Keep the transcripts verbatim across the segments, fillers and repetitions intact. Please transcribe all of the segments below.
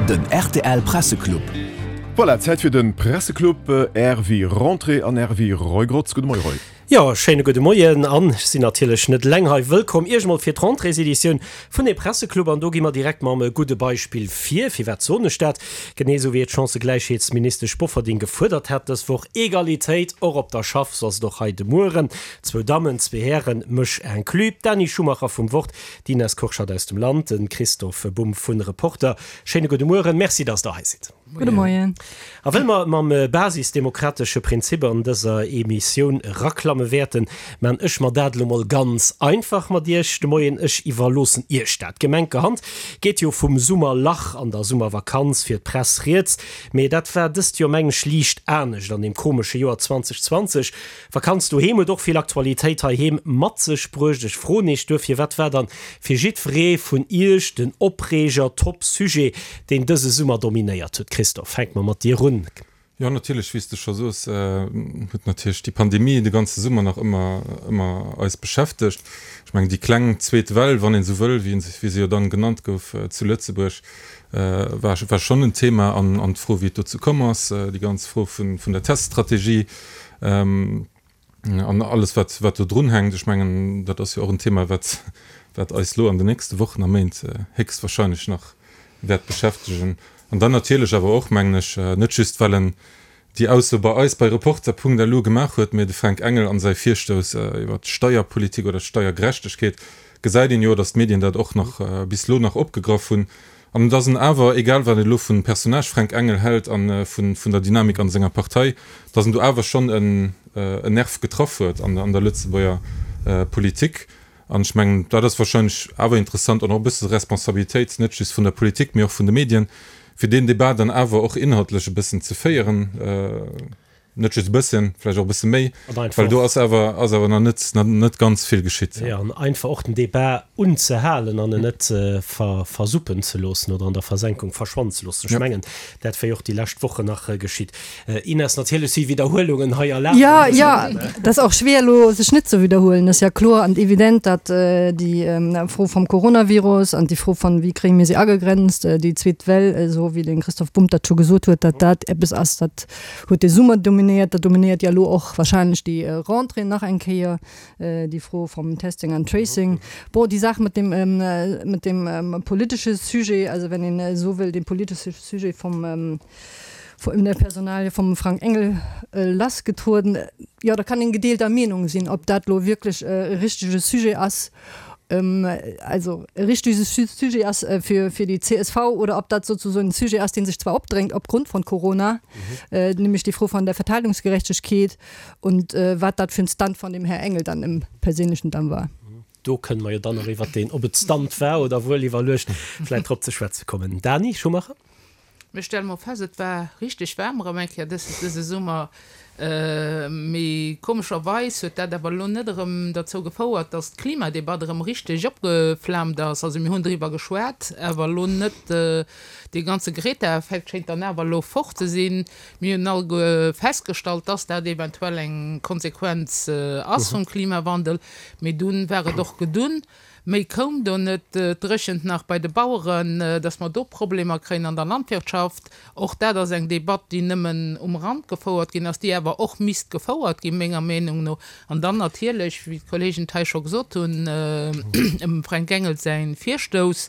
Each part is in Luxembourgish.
Den rtl Presseclub. Voilà, Zäit fir de Presseclub. R wéi Rentrée an R wéi Roy Grotz. Gudde Moie Roy. Jo, schéine gudde Moien an ech sinn natierlech net eleng hei. Wëllkomm Iech mol fir d'Rentréeseditioun vun dem Presseclub an do gi mer direkt mam gudde Beispill vir. Firwat soen ech dat? Genee esou wéi et d'Chancëgläichheetsministesch Bofferding gefuerdert hat dës Woch, Egalitéit och op der Schaff, sou ass et och hei de Mueren. Zwou Dammen, zwee Hären, mech inclus, d'Dany Schumacher vum Wort, d'Ines Kurschat aus dem Land, de Christophe Bumb vun Reporter. Schéine gudde Mueren, Merci, dass Der hei sidd. Gudde Moien. A wëll mer mam basisdemokratesche Prinzip an dëser Emissioun eraklamme wäerten, maan ech mer dat elo mol ganz einfach mat Iech de Moien. Ech iwwerloossen Iech dat. Gemenkerhand geet jo vum Summerlach an der Summervakanz fir d'Press rieds, mee dat war dëst Joer meng ech liicht anescht an deem komesche Joer zweitausendzwanzeg. Vakanz doheem huet och vill Aktualitéit heiheem mat sech bruecht. Ech froen Iech duerfir, Wat war dann fir jiddweree vun Iech den Opreeger, Top-Sujet, deen dëse Summer dominéiert huet? Christophe, fänke mer mat dir un. Jo, natierlech, wéi s de scho soos, huet natierlech déi Pandemie de ganze Summer nach ëmmer, ëmmer eis beschäftegt. Ech mengen, déi kleng zweet Well, wann een esou wëll, wéi wéi se jo dann genannt gouf zu Lëtzebuerg, war, war schonn en Thema. An, an d'Fro, wéi et dozou komm ass, déi ganz Fro vun, vun der Teststrategie, An alles, wat, wat do drunhänkt. Ech mengen, dat ass jo och en Thema, wat, wat eis elo an den nächste Wochen a Méint héchstwahrscheinlech nach wäert beschäftegen. An dann natierlech awer och, mengen ech, net just, well en déi Ausso bei eis bei Reporter.lu gemaach huet, mee de Fränk Engel an säi Virstouss iwwert d'Steierpolitik oder d'Steiergerechtegkeet, gesäit een jo, datt d'Medien dat och nach bis elo nach opgegraff hunn. An dass en awer, egal wat een elo vum Personnage Fränk Engel hält a vun der Dynamik an senger Partei, dass en do awer schonn en Nerv getraff huet an der Lëtzebuerger Politik. An ech mengen, dat ass wahrscheinlech awer interessant an och e bësse Responsabilitéit, net just vun der Politik, mee och vun de Medien, fir deen Debat dann awer och inhaltlech e bëssen ze féieren. Net just e bësschen, vläicht och e bësse méi, well do ass awer, ass awer nach net, net ganz vill geschitt. Jo, an einfach och den Debat unzehalen an en net ver, versuppen ze loossen oder an der Versenkung verschwannen ze loossen. Ech mengen, dat wär jo och déi lescht Wochen nach geschitt. Ines, natierlech si Widderhuelungen hei erlaabt. Jo, jo, dat ass och schwéier elo, sech net ze widderhuelen. Et ass ja kloer an evident, datt déi Fro vum Coronavirus an déi Fro von, wéi kréie mir se agegrenzt, déi zweet Well, esou wéi de Christoph Bumb dat scho gesot huet, datt dat eppes ass, dat huet de Summer dominéiert, dat dominéiert ja elo och wahrscheinlech déi Rentrée nach eng Kéier, déi Fro vom Testing and Tracing. Bon, déi Saach mat dem, mat dem politesche Sujet, also wenn een esou wëll, dee politesche Sujet vom, vun der Personalie vum Frank Engel lassgetrueden, jo, da kann een gedeelter Meenung sinn, ob dat elo wierklech e richtege Sujet ass. also e richtege Sujet ass fir fir déi C S V oder ob dat sozusagen en Sujet ass, dee sech zwar opdrängt opgrund von Corona, nämlech déi Fro von der Verteilungsgerechtegkeet und wat dat fir en Stunt von dem Här Engel dann im Perséinlechen dann war. Do kënne mer jo dann nach iwwert deen, ob et Stunt war oder wuel iwwerluecht, vläicht drop ze schwätze kommen. Dani Schumacher. Mir stelle mol fest, et war richteg waarm erëm eng Kéier dëse Summer. Mee komescherweis huet dat awer elo net erëm derzou gefouert, datt d'Klimadebatt erëm richteg opgeflaamt ass. Also mir hunn driwwer geschwat, awer elo net. Dee ganze Greta-Effekt schéngt dann awer elo fort ze sinn. Mir hunn alleguer festgestallt, datt dat eventuell eng Konsequenz ass vum Klimawandel. Mee dunn war et och gedunn. Méi koum do net. Et dréchent nach bei de Baueren, datt mer do Problemer kréien an der Landwirtschaft. Och dat ass eng Debatt, déi nëmmen um Rand gefouert ginn ass, déi awer och misst gefouert ginn, menger Meenung no. An dann natierlech, wéi d'Kollegen et hei scho gesot hunn, dem Fränk Engel säi Virstouss,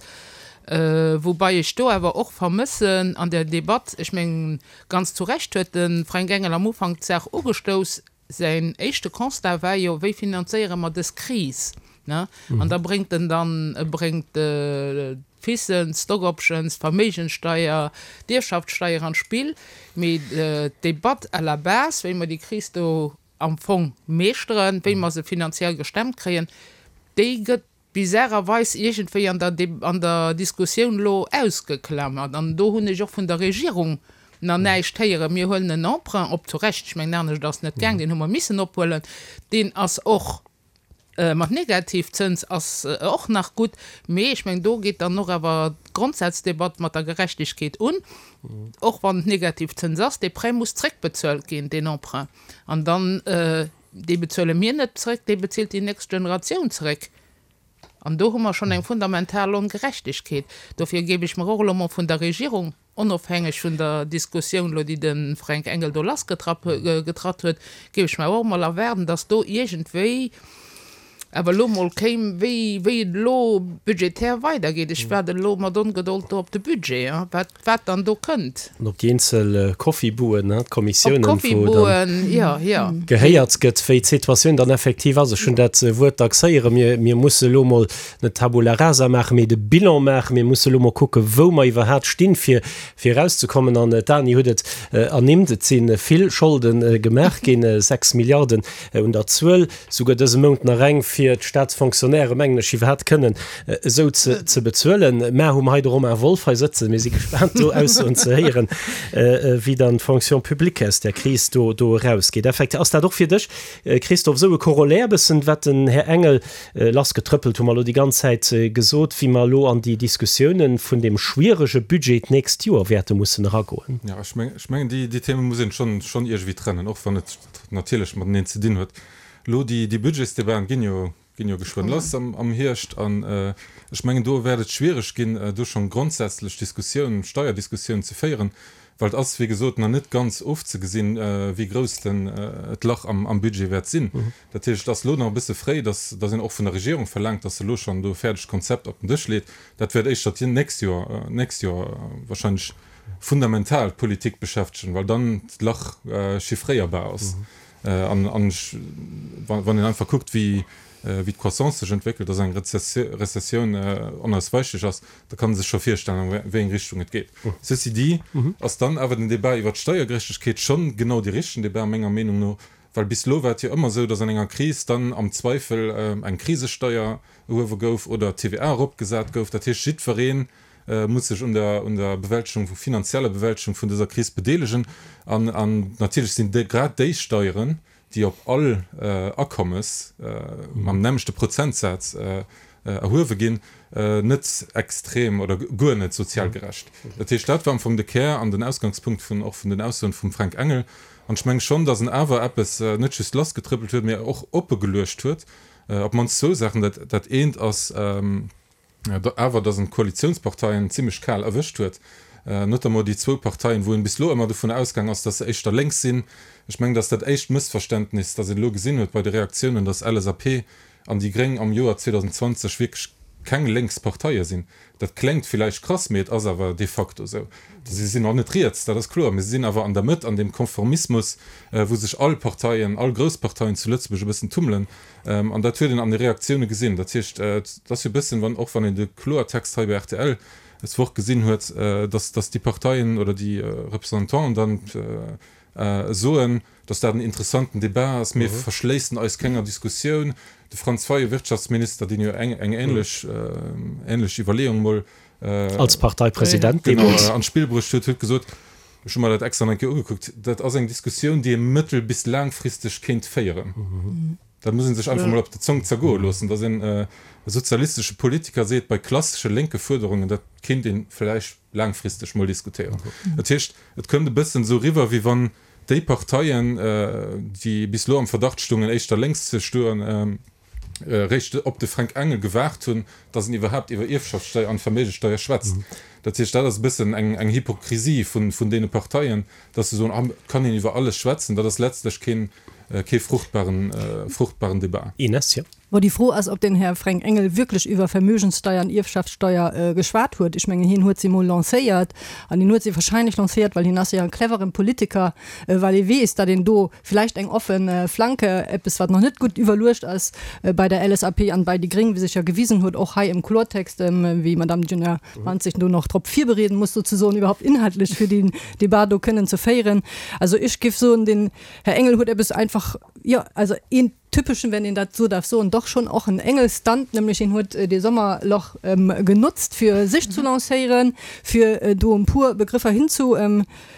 woubai ech do awer och vermëssen an der Debatt, ech mengen, ganz zu Recht huet de Fränk Engel am Ufank d'Saach ugestouss, säin éischte Constat war jo, Wéi finanzéiere mer dës Kris? Ne? An da bréngt en dann, e bréngt d'FISen, d'Stock Options, d'Verméigenssteier, d'Ierfschaftssteier an d'Spill. Mee d'Debatt à la base, wéi mer déi Kris do am Fong meeschteren, wéi mer se finanziell gestemmt kréien, déi gëtt bizarrerweis iergendwéi an der, an der Diskussioun elo ausgeklamert. An do hunn ech och vun der Regierung nach näischt héieren. Mir huelen en Emprunt op, zu Recht, ech mengen, anescht ass net gaang, deen hu mer missen ophuelen, deen ass och mat Negativzëns, ass och nach gutt, mee ech mengen, do geet dann och awer d'Grondsazdebatt mat der Gerechtegkeet un, och wann et Negativzëns ass, dee Prêt muss zréckbezuelt ginn, deen Emprunt, an dann, dee bezuele mir net zréck, dee bezilt déi nächst Generatioun zréck. An do hu mer schonn eng fundamental Ongerechtegkeet. Dofir géif ech mer och elo mol vun der Regierung Onofhängeg vun der Diskussioun elo, déi de Fränk Engel do lassgetrapp getratt huet, géif ech mer och emol erwaarden, dass do iergendwéi awer elo emol kéim, wéi, wéi et elo budgetär weidergeet. Ech waarden elo mat Ongedold do op de Budget, wat, wat dann do kënnt. An op déi eenzel Coffee-Buen, d'Kommissiounen, wou dann jo, jo. gehéiert gëtt, wéi d'Situatioun dann effektiv ass. Ech hunn dat Wuert dacks héieren, mir, mir musse elo emol net Tabula rasa maachen, mee de Bilan maachen. Mir musse elo emol kucken, wou mer iwwerhaapt stinn, fir, fir erauszekommen. An d'Dany huet et ernimmt, et si vill Scholde gemaach ginn, sechs Milliarden un der Zuel, souguer dëse Mount nach eng, fir d'Staatsfonctionnairë, mengen ech, iwwerhaapt kënnen esou ze, ze bezuelen. Mä hu mer hei de Romain Wolff hei sëtzen. Mir si gespaant, do Aussoen ze héieren, wéi dann d'Fonction publique aus där Kris do, do erausgeet. Effektiv, ass dat och fir dech, Christophe, esou e Corollaire bëssen, wat den Här Engel lassgetrëppelt, hu mer elo déi ganz Zäit gesot, wéi mer elo an déi Diskussiounen vun deem schwierege Budget d'nächst Joer wäerte mussen eragoen? Jo, ech mengen, ech mengen, déi, déi Theme muss een schonn, schonn iergendwéi trennen, och wann et natierlech mateneen ze dinn huet. Elo déi, déi Budgetsdebaten ginn jo, ginn jo geschwënn lass am, am Hierscht an ech mengen, do wäert et schwiereg ginn, do schonn grondsätzlech Diskussiounen, Steierdiskussiounen ze féieren, well et ass, wéi gesot, nach net ganz ofzegesinn, wéi grouss den, d'Lach am, am Budget wäert sinn. Dat heescht, et ass elo nach e bësse fréi, dass, dass een och vun der Regierung verlaangt, dass se elo schonn do e fäerdegt Konzept op den Dësch leet. Dat wäert éischter d'nächst Joer, d'nächst Joer wahrscheinlech fundamental d'Politik beschäftegen, well dann d'Lach chiffréierbar ass. An wann een einfach kuckt, wéi d'Croissance sech entwéckelt, dass eng Rezessioun onausweichlech ass, da kann ee sech scho virstellen, a wéi eng Richtung et geet. Ceci dit ass dann awer den Débat iwwert d'Steiergerechtegkeet schonn genau dee richtegen Débat, menger Meenung no, well bis elo war et jo ëmmer esou, dass an enger Kris dann am Zweifel eng Krisesteier erhuewe gouf oder d'T V A eropgesat gouf. Dat heescht, jiddweree muss sech un der un der Bewältegung, finanzieller Bewältegung vun dëser Kris bedeelegen. An an natierlech sinn déi grad déi Steieren, déi op all Akommes mam nämmlechte Prozentsaz erhuewe ginn, net extrem oder guer net sozial gerecht. Dat heescht, dat war am Fong de Kär an den Ausgangspunkt vun och vun den Aussoen vum Fränk Engel. An ech menge schonn, datt en awer eppes net just lassgetrëppelt huet, mä och oppegeluecht huet, op d'mannst zwou Saachen. Dat dat eent ass, awer datt en d'Koalitiounsparteien zimlech kal erwëscht huet, notamment déi zwou Parteien, wou een bis elo ëmmer dovun ausgaang ass, datt se éischter lénks sinn. Ech mengen, datt dat éischt Mëssverständnis, dat een elo gesinn huet bei de Reaktiounen, datt L S A P an déi Gréng am Joer zweedausenzwanzeg wierklech keng lénks Parteie sinn. Dat kléngt villäicht krass, mee et ass awer de facto esou. Si sinn och net riets, dat ass kloer, mee si sinn awer an der Mëtt, an deem Konformismus, wou sech all Parteien, all grouss Parteien zu Lëtzebuerg e bëssen tummelen. An dat huet een an de Reaktioune gesinn. Dat heescht, et ass jo e bëssen, wann, och wann een de Kloertext hei bei R T L des Woch gesinn huet, dass, dass déi Parteien oder déi Representanten dann soen, dass dat en interessanten Débat ass, mir verschléissen eis kenger Diskussioun. De Franz Fayot, Wirtschaftsminister, deen jo eng, eng ähnlech, ähnlech Iwwerleeung mol als Parteipresident genau an d'Spill bruecht huet, huet gesot, ech hu mer dat extra nach eng Kéier ugekuckt, dat ass eng Diskussioun, déi ee mëttel bis laangfristeg kéint féieren. Dat muss ee sech einfach mol op der Zong zergoe loossen, dass een e sozialistesche Politiker seet, bei klassesche lénke Fuerderungen, dat kéint ee vläicht laangfristeg mol diskutéieren. Dat heescht, et kënnt e bëssen esou eriwwer, wéi wann déi Parteien, déi bis elo am Verdacht stungen, éischter lénks ze stoen, réischt op de Fränk Engel gewaart hunn, dass en iwwerhaapt iwwer Ierfschaftssteier an Verméigenssteier schwätzt. Dat heescht, dat ass e bëssen eng eng Hypokrisie vun vun deene Parteien, dass se soen, ah, et kann een iwwer alles schwätzen. Dat ass letztlech keen kee fruchtbaren fruchtbaren Debat. Ines, jo. Bon, déi Fro ass, ob den Här Fränk Engel wierklech iwwer Vermögenssteier an Ierfschaftssteier geschwat huet. Ech mengen, hien huet se emol lancéiert an hien huet se wahrscheinlech lancéiert, well hien ass jo e cleveren Politiker, well e weess, datt een do vläicht eng offen Flanke, eppes wat nach net gutt iwwerluecht ass bei der L S A P an bei déi Gréng, wéi sech jo gewisen huet, och hei im Klortext, wéi Madame Djuna Manz sech do nach drop virbereeden muss sozesoen, iwwerhaupt inhaltlech fir deen Debat do kënnen ze féieren. Also ech géif soen, den Här Engel huet eppes einfach, jo, also een typeschen, wenn een dat esou darf soen, doch schon och en Engel-Stunt, nämlech hien huet dee Sommerloch genotzt fir sech zu lancéieren, fir do e puer Begrëffer hinzu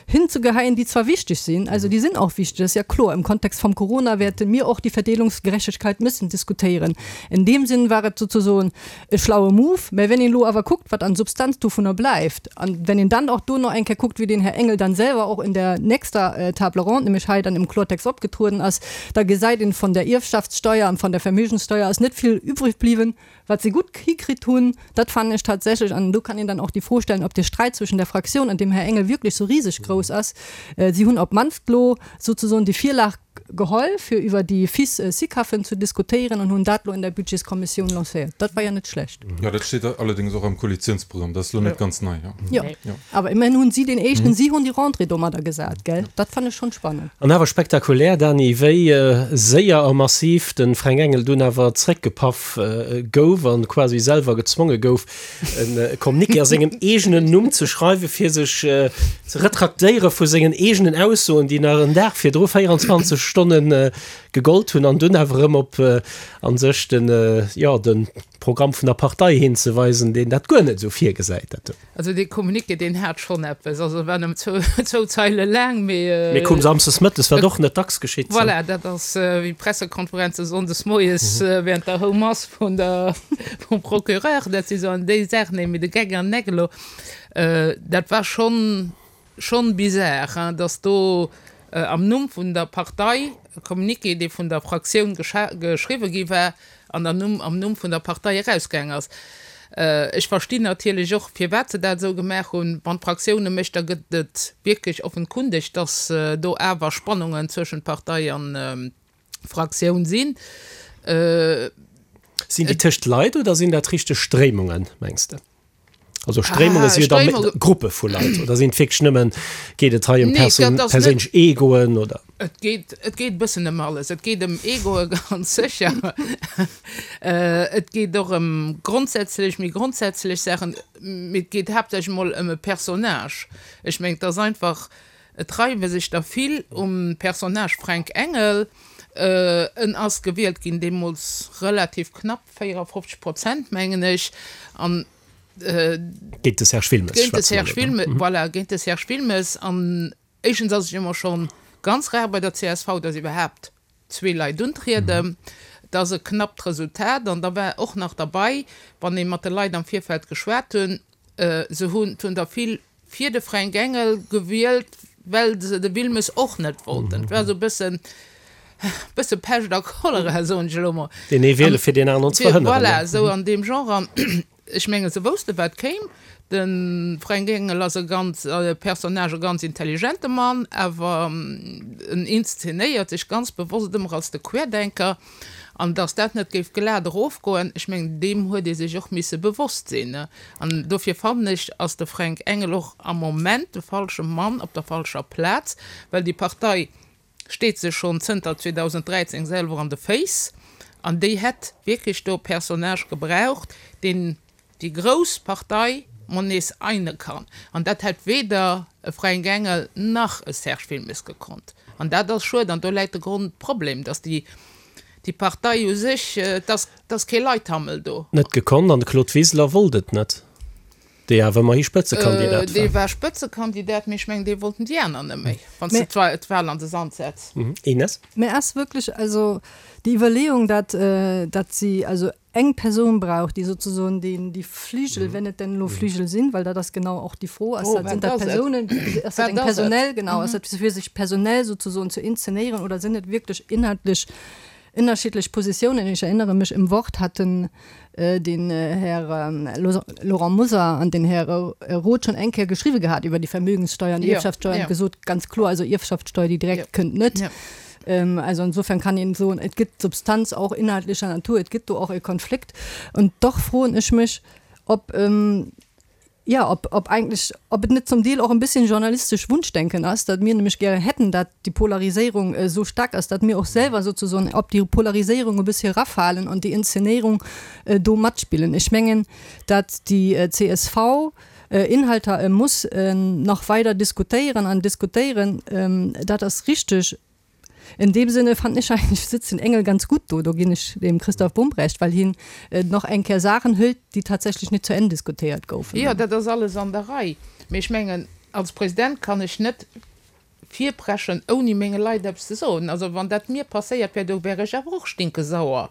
hinzugeheien, déi zwar wichteg sinn, also déi sinn och wichteg, dat ass ja kloer, im Kontext vom Corona wäerte mir och déi Verdeelungsgerechtegkeit müssen diskutéieren. In deem Sinn war et sozesoen e schlaue Move, mä wenn een elo awer kuckt, wat an Substanz dovunner bleift, an wenn een dann och do nach eng Kéier kuckt, wéi den Här Engel dann selwer och in der nächster Table ronde, nämlech hei dann im Klortext opgetrueden ass, Da gesäit een, von der Ierfschaftssteuer an von der Vermögenssteuer ass net vill übrig bliwwen. Wat se gutt hikritt hunn, dat fannen ech tatsächlech, an do kann een dann och déi Fro stellen, ob de Sträit zwëschen der Fraktioun an dem Här Engel wierklech sou riseg grouss ass. Si hunn op d'mannst lo souzesoen déi Virlag geholl, fir iwwer déi FIS-Sicafen ze diskutéieren an hunn dat lo in der Budgetskommissioun lancéiert. Dat war jo net schlecht. Jo, dat steet allerdéngs och am Koalitiounsprogramm. Dat ass lo net ganz nei. Jo, awer immerhin hunn si deen éischten, si hunn déi Rentrée domadder gesat, gell? Dat fannen ech schonn spannend. An awer spektakulär, Dany, wéi séier a massiv de Fränk Engel dunn awer zréckgepaff gouf an quasi selwer gezwonge gouf, e Communiqué a sengem eegenen Numm ze schreiwen, fir sech ze retraktéiere vu sengen eegenen Aussoen, déi nach en Dag virdru véierundzwanzeg Stonne gegollt hunn, an dunn awer erëm op a sech den, jo, de Programm vun der Partei hinzeweisen, deen dat guer net esou virgesäit. Dat. Also dee Communiqué, deen hat schonn eppes. Also e war nëmmen zwou, zwou Zeile laang, mee. Mee koum samsdes mëttes, wat och net dacks geschitt. Voilà, dat ass wéi Pressekonferenze sonndes moies während der Houmass vun der, vum Procureur. Dat si sou an déi Saachen, mee de Geck an den Eck elo, dat war schonn, schonn bizar, hein, dass do am Numm vun der Partei e Communiqué, dee vun der Fraktioun geschriwwe gi war, an am Numm, am Numm vun der Partei erausgaang ass. Ech verstinn natierlech och, firwat se dat esou gemaach hunn. Wann d'Fraktioun e mécht, da gëtt et wierklech offenkundeg, dass do awer Spannungen zwëschent Partei an Fraktioun sinn. Sinn déi tëscht Leit oder sinn dat richteg Stréimungen, mengs de? Also Stréimunge si jo da Gruppe vu Leit oder sinn et wierklech nëmmen, geet et hei ëm perséinlech Egoen oder? Et geet, et geet e bëssen ëm alles. Et geet ëm Egoe ganz sécher. Et geet och ëm grondsätzlech, méi grondsätzlech Saachen. Mee et geet haaptsächlech emol ëm e Personnage. Ech mengen, et ass einfach, et reiwe sech der vill um Personnage Fränk Engel. En ass gewielt ginn deemools relativ knapp, véierafofzeg Prozent mengen ech. An Géint de Serge Wilmes. Géint de Serge Wilmes, voilà, géint de Serge Wilmes. An éischtens ass et jo emol scho ganz rar bei der C S V, datt iwwerhaapt zwee Leit untrieden. Et ass e knappt Resultat. An da war och nach derbei, wann ee mat de Leit am Virfeld geschwat hunn, se hunn, et hunn der vill fir de Fränk Engel gewielt, well se de Wilmes och net wollten. Et war esou e bëssen, bësse Pescht a Cholera, soen ech elo mol. Deen ee wiele fir deen aneren ze verhënneren. Voilà, esou an deem Genre. An ech mengen, se wousste wat kéim. De Fränk Engel ass e ganz Personnage, e ganz intelligente Mann, awer en inszenéiert sech ganz bewosst ëmmer als de Querdenker. An datt dat net géif glat erofgoen, ech mengen, deem huet ee sech och misse bewosst sinn. An dofir fannen ech, ass de Fränk Engel och am Moment de falsche Mann op der falscher Plaz, well déi Partei steet sech schonn zënter zweedausenddräizéng selwer an de Féiss an déi hätt wierklech do e Personnage gebraucht, deen déi grouss Partei mol nees eine kann. An dat hätt weder e Fränk Engel nach e Serge Wilmes gekonnt. An dat ass schued an do läit de Grondproblem, datt déi déi Partei u sech, et ass, et ass kee Leithammel do. Net gekonnt an de Claude Wiseler wollt et net. Dee awer ëmmerhi Spëtzekandidat war. Dee war Spëtzekandidat, mee ech mengen, dee wollten déi aner net méi, wann s de d'Wahl an de Sand setz. Ines? Mä ass wierklech also déi Iwwerleeung, datt, datt si also eng Persoun brauch, déi sozesoen deen, déi Fligel, wenn et denn elo Fligel sinn, well dat ass genau och déi Fro, ass dat, sinn dat Persounen, ass dat eng personell, genau, ass dat fir sech personell sozesoen ze inzenéieren oder sinn et wierklech inhaltlech ënnerschiddlech Positiounen. Ich erinnere mich, im Wort hatten den Här Laurent Mosar an den Här Roth schon eng Kéier geschriwwe gehat iwwer déi Vermögenssteuer an déi Ierfschaftssteuer an gesot, ganz kloer, also Ierfschaftssteuer, déi direkt kënnt net. Also insofern kann een soen, et gëtt Substanz och inhaltlecher Natur, et gëtt do och e Konflikt. Und doch froen ech mech, ob, Jo, ob, ob eigentlech, ob et net zum Deel och en bisschen journalistesch Wunschdenken ass, datt mir nämlech gären hätten, datt déi Polariséierung esou staark ass, datt mir och selwer sozesoen op déi Polariséierung e bëssi erafalen an déi Inszenéierung do matspillen. Ech mengen, datt déi C S V Inhalter muss nach weider diskutéieren an diskutéieren, dat ass richteg. In deem Sinne fand ech eigentlech sëtzt den Engel ganz gutt do, do ginn ech dem Christoph Bumb Recht, well hien nach eng Kéier Saachen hëlt, déi tatsächlech net zu Enn diskutéiert goufen. Jo, dat ass alles an der Rei. Mee ech mengen, als President kann ech net virpreschen, ouni menge Leit eppes ze soen. Also wann dat mir passéiert wär, do wär ech awer och stinkesauer.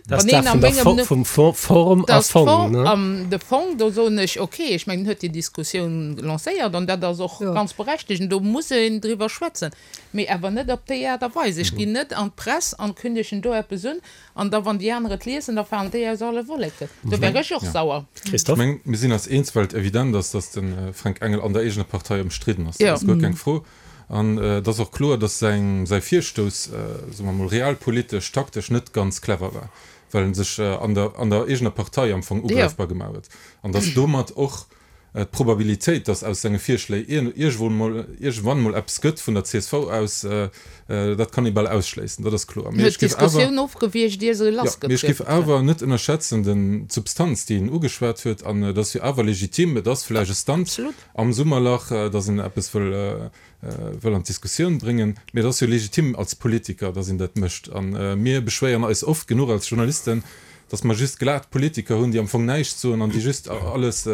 Dat ass dat vun der Fo vum Fo Form a Fong, ne? An de Fong, do soen ech, okay, ech mengen, en huet déi Diskussioun lancéiert an dat ass och ganz berechtigt, do muss een driwwer schwätzen, mee awer net op déi Aart a Weis. Ech ginn net an d'Press an kündegen do eppes un an da wann déi aner et liesen, da falen déi aus alle Wolleken. Do wär ech och sauer. Ech mengen, mir sinn eis eens, well et evident ass, datt de Fränk Engel an der eegener Partei ëmstridden ass. Dat ass guer keng Fro. An et ass och kloer, datt säin säi Virstouss, soe mer mol, realpolitesch, taktesch net ganz clever war, well en sech an der an der eegener Partei am Fong ugräifbar gemaach huet. An datt domat och d'Probabilitéit, datt aus senge Virschléi iergendwou mol iergendwann mol eppes gëtt vun der csv aus, dat kann ee bal ausschléissen, dat ass kloer. Mee ech géif awer, jo, mee ech géif awer net ënnerschätzen den d'Substanz, déi en ugeschwat huet. An et ass jo awer legitim, et ass vläicht e Stunt am Summerlach, datt en eppes wëll wëll an d'Diskussioun bréngen. Mee et ass jo legitim als Politiker, datt een dat mécht. A mir beschwéieren eis oft genuch als Journalisten, datt mer just glat Politiker hunn, déi am Fong näischt soen an déi just alles,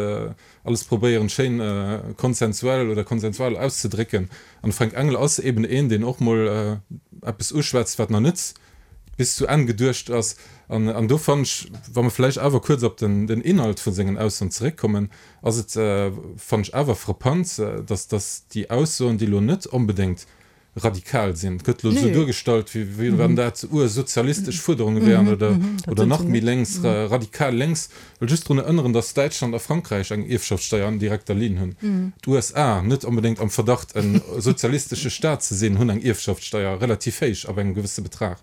alles probéieren, schéin konsensuell oder konsensual auszedrécken. An de Fränk Engel ass eben een, deen och mol eppes uschwätzt, wat nach net bis zu Enn geduecht ass. An, an do fannen ech, wa mer vläicht awer kuerz op den, den Inhalt vu sengen Aussoen zeréckkommen, ass et, fannen ech awer frappant, dass, dass déi Aussoen, déi elo net onbedéngt radikal sinn, et gëtt elo esou duergestallt, wéi, wéi wann dat ursozialistesch Fuerderunge wären oder, oder nach méi lénks, radikal lénks. Ech wëll just drun erënneren, dass Däitschland a Frankräich eng Ierfschaftssteier an direkter Linn hunn. D'USA, net onbedéngt am Verdacht e sozialistesche Staat ze sinn, hunn eng Ierfschaftssteier, relativ héich, ab engem gewësse Betrag.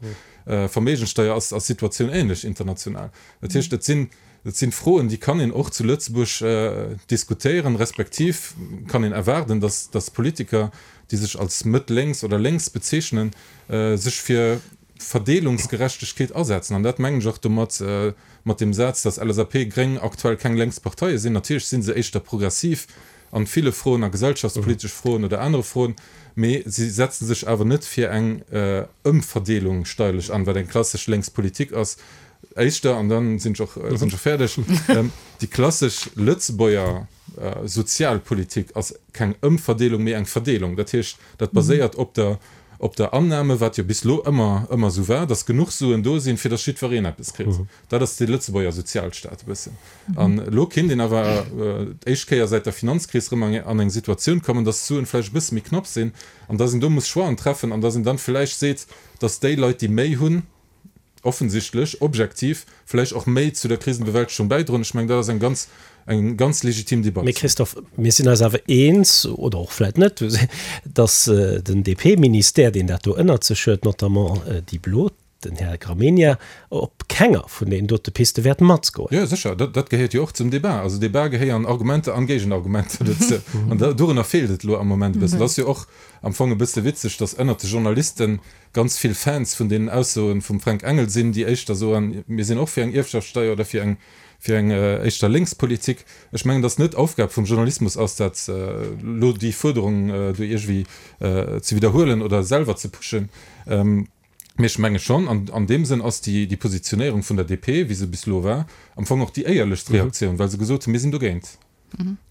Verméigenssteier ass ass d'Situatioun ähnlech international. Dat heescht, et sinn et sinn Froen, déi kann een och zu Lëtzebuerg diskutéieren, respektiv kann een erwaarden, dass dass Politiker, déi sech als mëtt-lénks oder lénks bezeechnen, sech fir Verdeelungsgerechtegkeet asetzen. An dat mengen ech och domat, mat deem Saz, dass LSAP, Gréng aktuell keng lénks Parteie sinn. Natierlech si se éischter progressiv an ville Froen, a gesellschaftspolitesch Froen oder anere Froen, mee si setze sech awer net fir eng Ëmverdeelung steierlech an, wat eng klassesch lénks Politik ass. Éischter, an da sinn ech och sinn ech och fäerdeg, déi klassesch Lëtzebuerger Sozialpolitik ass keng Ëmverdeelung, mee eng Verdeelung. Dat heescht, dat baséiert op der op der Annahme, wat jo bis elo ëmmer ëmmer esou war, dass genuch Suen do sinn, fir dass jiddwereen eppes kritt. Dat ass de Lëtzebuerger Sozialstaat e bëssen. An elo kéint een awer d'éischt Kéier säit der Finanzkris erëm an eng Situatioun kommen, dass d'Suen vläicht e bësse méi knapp sinn an dass een do muss Choixen treffen an dass een dann vläicht seet, dass déi Leit, déi méi hunn, offensichtlech, objektiv vläicht och méi zu der Krisenbewältegung bäidroen. Ech mengen, dat ass eng ganz, eng ganz legitim Debatt. Mee Christophe, mir sinn eis awer eens, oder och vläicht net, datt den DP-Ministère, deen dat do ënnert sech huet, notamment déi Blo, den Här Gramegna, op kenger vun deenen dote Piste wäert matgoen. Jo, sécher, dat, dat gehéiert jo och zum Debat. Also Debat gehéieren Argumenter an Géigenargumenter dozou. An dorunner feelt et elo am Moment e bëssen. Et ass jo och am Fong e bësse witzeg, datt ënnert de Journalisten ganz vill Fans vun deenen Aussoen vum Fränk Engel sinn, déi éischter soen, mir sinn och fir eng Ierfschaftssteier oder fir eng fir eng éischter lénks Politik. Ech mengen, datt net Aufgab vum Journalismus ass, dat elo déi Fuerderung do iergendwéi ze widderhuelen oder selwer ze pushen. Mee ech menge schonn, an an deem Sënn ass déi déi Positionéierung vun der DP, wéi se bis elo war, am Fong och déi éierlechst Reaktioun, well se gesot hunn, mir sinn dogéint.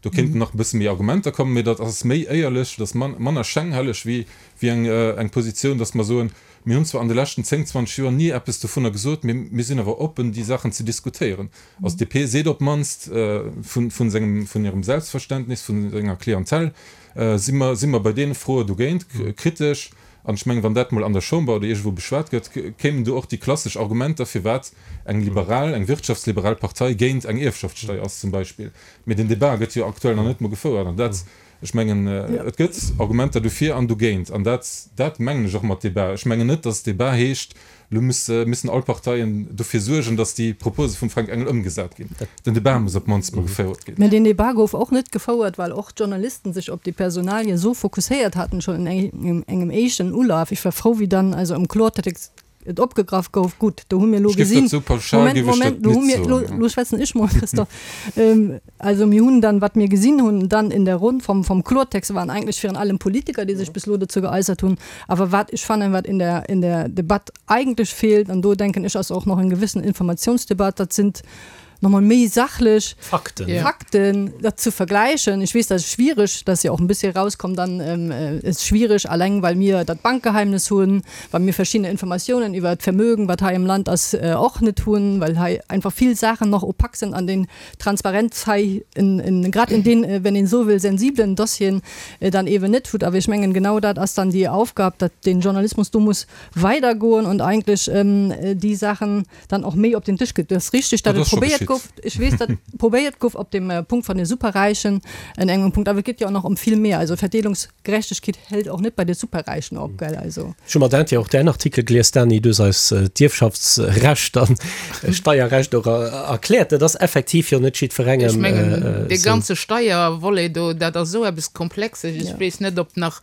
Do kéinten nach e bësse méi Argumenter kommen, mee dat ass méi éierlech, dat ass manner schänghelleg wéi eng eng Positioun, datt mer soen, mir hunn zwar an de leschten zéng, zwanzeg Joer ni eppes dovunner gesot, mee mir sinn awer oppen, déi Saachen ze diskutéieren. Also d'DP seet op d'mannst vun vun sengem vun hirem Selbstverständnis, vun senger Clientèle, si mer si mer bei deene Froe dogéint, kritesch. An ech mengen, wann dat mol an der Chamber oder iergendwou beschwat gëtt, kéimen do och déi klassesch Argumenter, firwat eng liberal, eng wirtschaftsliberal Partei géint eng Ierfschaftssteier ass zum Beispill. Mee den Débat gëtt jo aktuell nach net mol gefouert. An dat, ech mengen, et gëtt Argumenter dofir an dogéint. An dat, dat mengen ech och mat Débat. Ech mengen net, dass Débat heescht, Elo müssen all Parteien dofir suergen, datt déi Propose vum Fränk Engel ëmgesat ginn. Den Debat muss op d'mannst mol gefouert ginn. Mä deen Debat gouf och net gefouert, well och d'Journalisten sech op déi Personalie esou fokusséiert haten, schonn an engem éischten Ulaf. Ech war frou, wéi dann also am Kloertext et opgegraff gouf. Gutt, do hu mir elo Ech géif gesinn, dat esou pauschal Moment, géif ech Moment, dat do hu net mir, elo, soen. elo schwätzen ech mol, Christophe. Also mir hunn dann, wat mir gesinn hunn dann in der Ronn vom, vom Kloertext, waren eigentlech virun allem Politiker, déi sech bis elo dozou geäussert hunn. Awer wat ech fannen, wat in der, in der Debatt eigentlech feelt, an do denken ech ass och nach eng gewissen Informationsdebatt, dat sind nochmal méi sachlech Fakten, Ja. Fakten dat ze vergleichen. Ich weess, dat ass schwierig, dass ja och en bëssche rauskomm, dann ähm, äh, ist schwierig, alleng well mir dat Bankgeheimnis hunn, well mir verschiddene Informatiounen iwwer d'Vermögen, wat hei am Land ass, äh, och net hunn, well hei einfach vill Saachen nach opak sinn an den Transparenz hei in, in, grad in den, äh, wenn een sou wëll, sensiblen Dossieren äh, dann eben net huet. Awer ech mengen, genau dat ass dann déi Aufgab, dat den Journalismus do muss weidergoen und eigentlech ähm, äh, déi Saachen dann och méi op den Tisch gëtt. Dat ass richtig, dat Dat ass et scho probéiert geschitt. gouf. Ech weess, dat probéiert gouf op dem äh, Punkt vun de Superräichen en engem Punkt, awer et geet jo och nach ëm vill méi. Also Verdeelungsgerechtegkeet hält och net bei de Superräichen op, gell? Also. Ech hu mat Interêt och däin Artikel gelies, Dany, du hues eis äh, d'Ierfschaftsrecht an äh, Steierrecht och äh, erkläert. Dat ass effektiv jo net jiddwerengem. Ech mengen, äh, äh, dee sou. ganze Steiervolet do, dat ass sou eppes Komplexes. Ech Ja. weess net, ob nach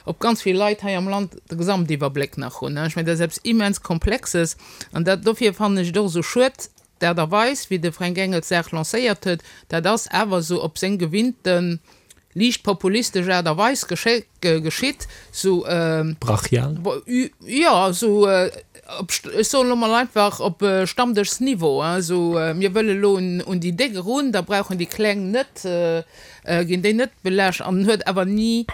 ob ganz vill Leit hei am Land de Gesamtiwwerbléck nach hunn. Ech mengen, dat ass eppes immens Komplexes. An dat, dofir fannen ech et och sou schued, d'Aart a Weis, wéi de Fränk Engel d'Saach lancéiert huet, dat ass awer sou op seng gewinnten liicht populistesch Aart a Weis gesche geschitt, sou ähm, Brachial. Bo, jo, sou äh, op, ech soen elo mol einfach op äh, Stammdëschsniveau, hein, sou äh, mir wëlle lo un, un déi Déck erun, da brauchen déi Kleng net, äh, äh, ginn déi net belaascht an huet awer ni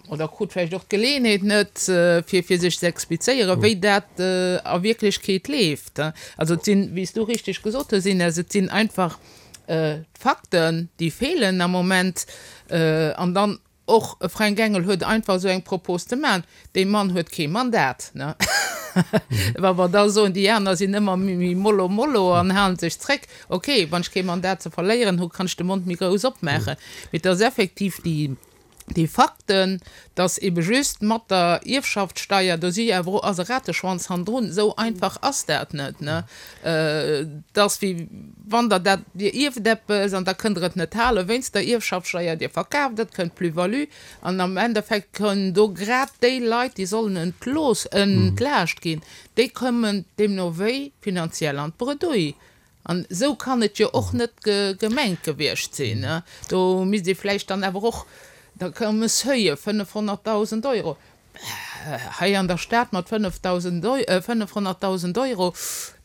oder krut vläicht och d'Geleeënheet net, äh, fir, fir sech ze explizéieren, wéi dat äh, a Wierklechkeet leeft. Hein. Also et sinn, wéi s du richteg gesot hues, Ines, et sinn einfach äh, Fakten, déi feelen am Moment äh, an dann och e Fränk Engel huet einfach sou eng Propos ze maachen. Dee Mann huet kee Mandat, ne? Wa mer da soen, déi aner sinn ëmmer méi méi mollo mollo an halen sech zréck. Okay, wann ech kee Mandat ze verléieren hu, kann ech de Mond méi grouss opmaachen. Mee et ass effektiv déi déi Fakten, dass ebe just mat der Ierfschaftssteier, do si awer och ass e Rateschwanz hannendrun, sou einfach ass dat net, ne? Dass wéi wann der dat, Dir ierft eppes an da kënnt Der et net hale wéinst der Ierfschaftssteier, Dir verkaaft et, kënnt d'Plus-value an am Endeffekt kënnen do grad déi Leit, déi sollen entlooss, entlaascht ginn, déi kommen deemno wéi finanziell an d'Bredouille. An esou kann et jo och net gemengt gewiescht sinn, ne? Do misst ee vläicht dann awer och, da koume Seuile, fënnefhonnertdausend Euro. Hei an der Stad mat fënnefdausend, fënnefhonnertdausend Euro,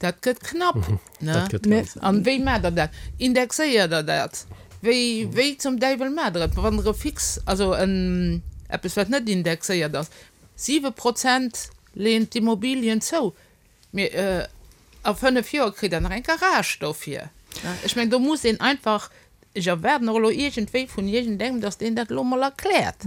dat gëtt knapp, ne? Dat gëtt ganz. An wéi maacht Der dat? Indexéiert Der dat? Wéi, wéi zum Däiwel maacht Der et? Wann Der e fix, also en, eppes wat net indexéiert ass, siwe Prozent leeën d'Immobilien zou, mee a fënnef Joer kritt Der nach eng Garage dofir, ne? Ech mengen, do muss een einfach Ech erwaarden och elo iergendwéi vun iergendengem, dass deen dat elo mol erkläert.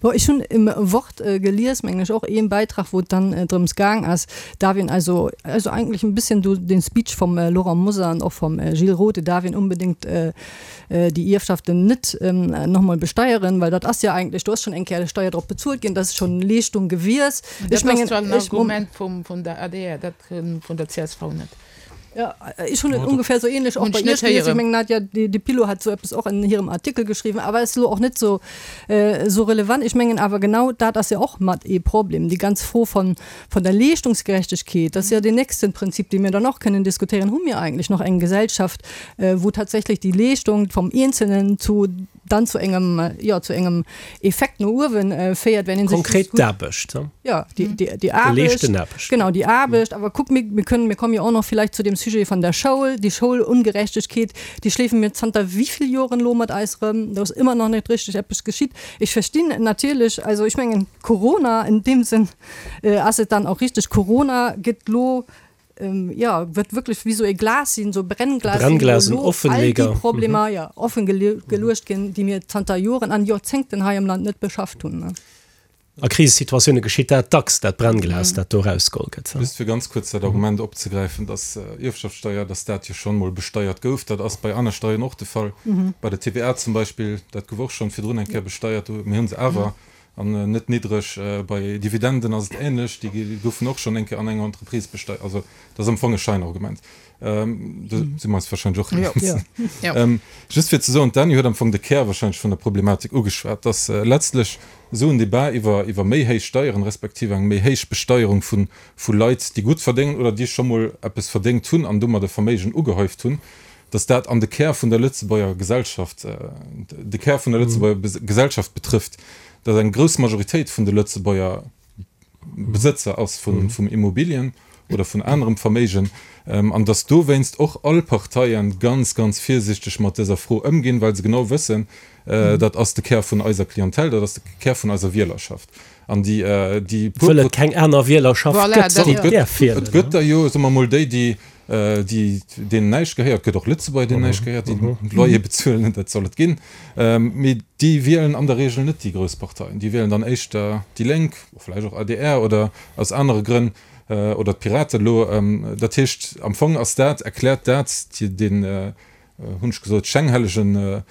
Bon, ech hunn im Wort gelies, mengen ech, och een Beitrag, wou et dann drëms gaang ass, darf een also, also eigentlich ein bisschen do den Speech vom Laurent Mosar an och vom Gilles Roth, darf een unbedingt déi Ierfschaften net nochmol besteieren, well dat ass jo eigentlech, do ass schonn eng Kéier Steier drop bezuelt ginn, dat ass schonn Leeschtung gewiescht. Dat ass zwar en Argument vum der adr, dat vun der csv net. Ja, ech hunn et ungefähr sou ähnlech och bei iech gelies. Ech mengen, Nadia Di Pillo hat sou eppes och an hirem Artikel geschriwwen, awer ass elo och net sou sou relevant. Ech mengen awer genau dat ass jo och mat ee Problem, déi ganz Fro von von der Leeschtungsgerechtegkeet, dat ass jo deen nächsten Prinzip, dee mir dann och kënnen diskutéieren, Hu mir eigentlech nach eng Gesellschaft, wou tatsächlich déi Leeschtung vom Eenzelnen zu dann zu engem, jo, zu engem Effekt no uewen féiert, wenn een sech Konkret d'Aarbecht, ne? Ja, déi, déi, déi Aarbecht. Geleeschten Aarbecht. Genau, déi Aarbecht. Awer kuck, mir, mir kënnen, mir kommen jo och nach vielleicht zu dem Sujet von der Schoul, déi Schoulungerechtegkeet, déi schleefe mir zanter wéivill Joren elo mat eis erëm. Do ass ëmmer nach net richteg eppes geschitt. Ech verstinn natierlech, also ech mengen, Corona in dem Sinn ass et dann och richteg, Corona gëtt elo, ja, wird wirklich wie so e Glas sinn, so Brennglas sinn, Brennglas, wou en elo all déi Offenleger. Problemer, ja, offen geluecht ginn, déi mir zanter Joren an Joerzéngten hei am Land net beschafft hunn, ne. A Krisesituatioune geschitt dat dacks, dat Brennglas, dat do erausgeholl gëtt. Just fir ganz kuerz dat Argument opzegräifen, dass Ierfschaftssteier, dass dat jo schonn emol besteiert gouf, dat ass bei aner Steieren och de Fall, bei der TVA zum Beispill, dat gouf och schonn virdrun eng Kéier besteiert, mir hu se awer an net niddreg. Bei Dividenden ass et ähnlech, déi goufen och schonn eng Kéier an enger Entreprise besteiert. Also dat ass am Fong e Scheinargument. Do si mer eis warscheinlech och eens. Just fir ze soen, d'Dany huet am Fong de Kär warscheinlech vun der Problematik ugeschwat, dass letztlech esou en Debat iwwer iwwer méi héich Steieren, respektiv eng méi héich Besteierung vu vu Leit, déi gutt verdéngen oder déi scho mol eppes verdéngt hunn an domat e Verméigen ugehäuft hunn, dass dat an de Kär vun der Lëtzebuerger Gesellschaft, de Kär vun der Lëtzebuerger Gesellschaft betrëfft, dass eng grouss Majoritéit vun de Lëtzebuerger Besëtzer ass vun vum Immobilien oder vun anerem Verméigen, an dass dowéinst och all Parteien ganz, ganz virsichteg mat dëser Fro ëmginn, well se genau wëssen, dat ass de Kär vun eiser Clientèle, dat ass de Kär vun eiser Wielerschaft. An déi, déi puer. Wëll et keng aner Wielerschaft gëtt, déi däerf wielen. Et gëtt der jo, soe mer emol, déi, déi, déi, deenen näischt gehéiert. Et gëtt och Lëtzebuerger, deenen näischt gehéiert, déi Loyer bezuelen, dat soll et ginn. Mee déi wielen an der Regel net déi grouss Parteien. Déi wielen dann éischter déi Lénk, vläicht och adr oder aus anere Grënn, oder d'Piraten elo. Dat heescht, am Fong ass dat, erkläert dat deen, hunn ech gesot, schänghellegen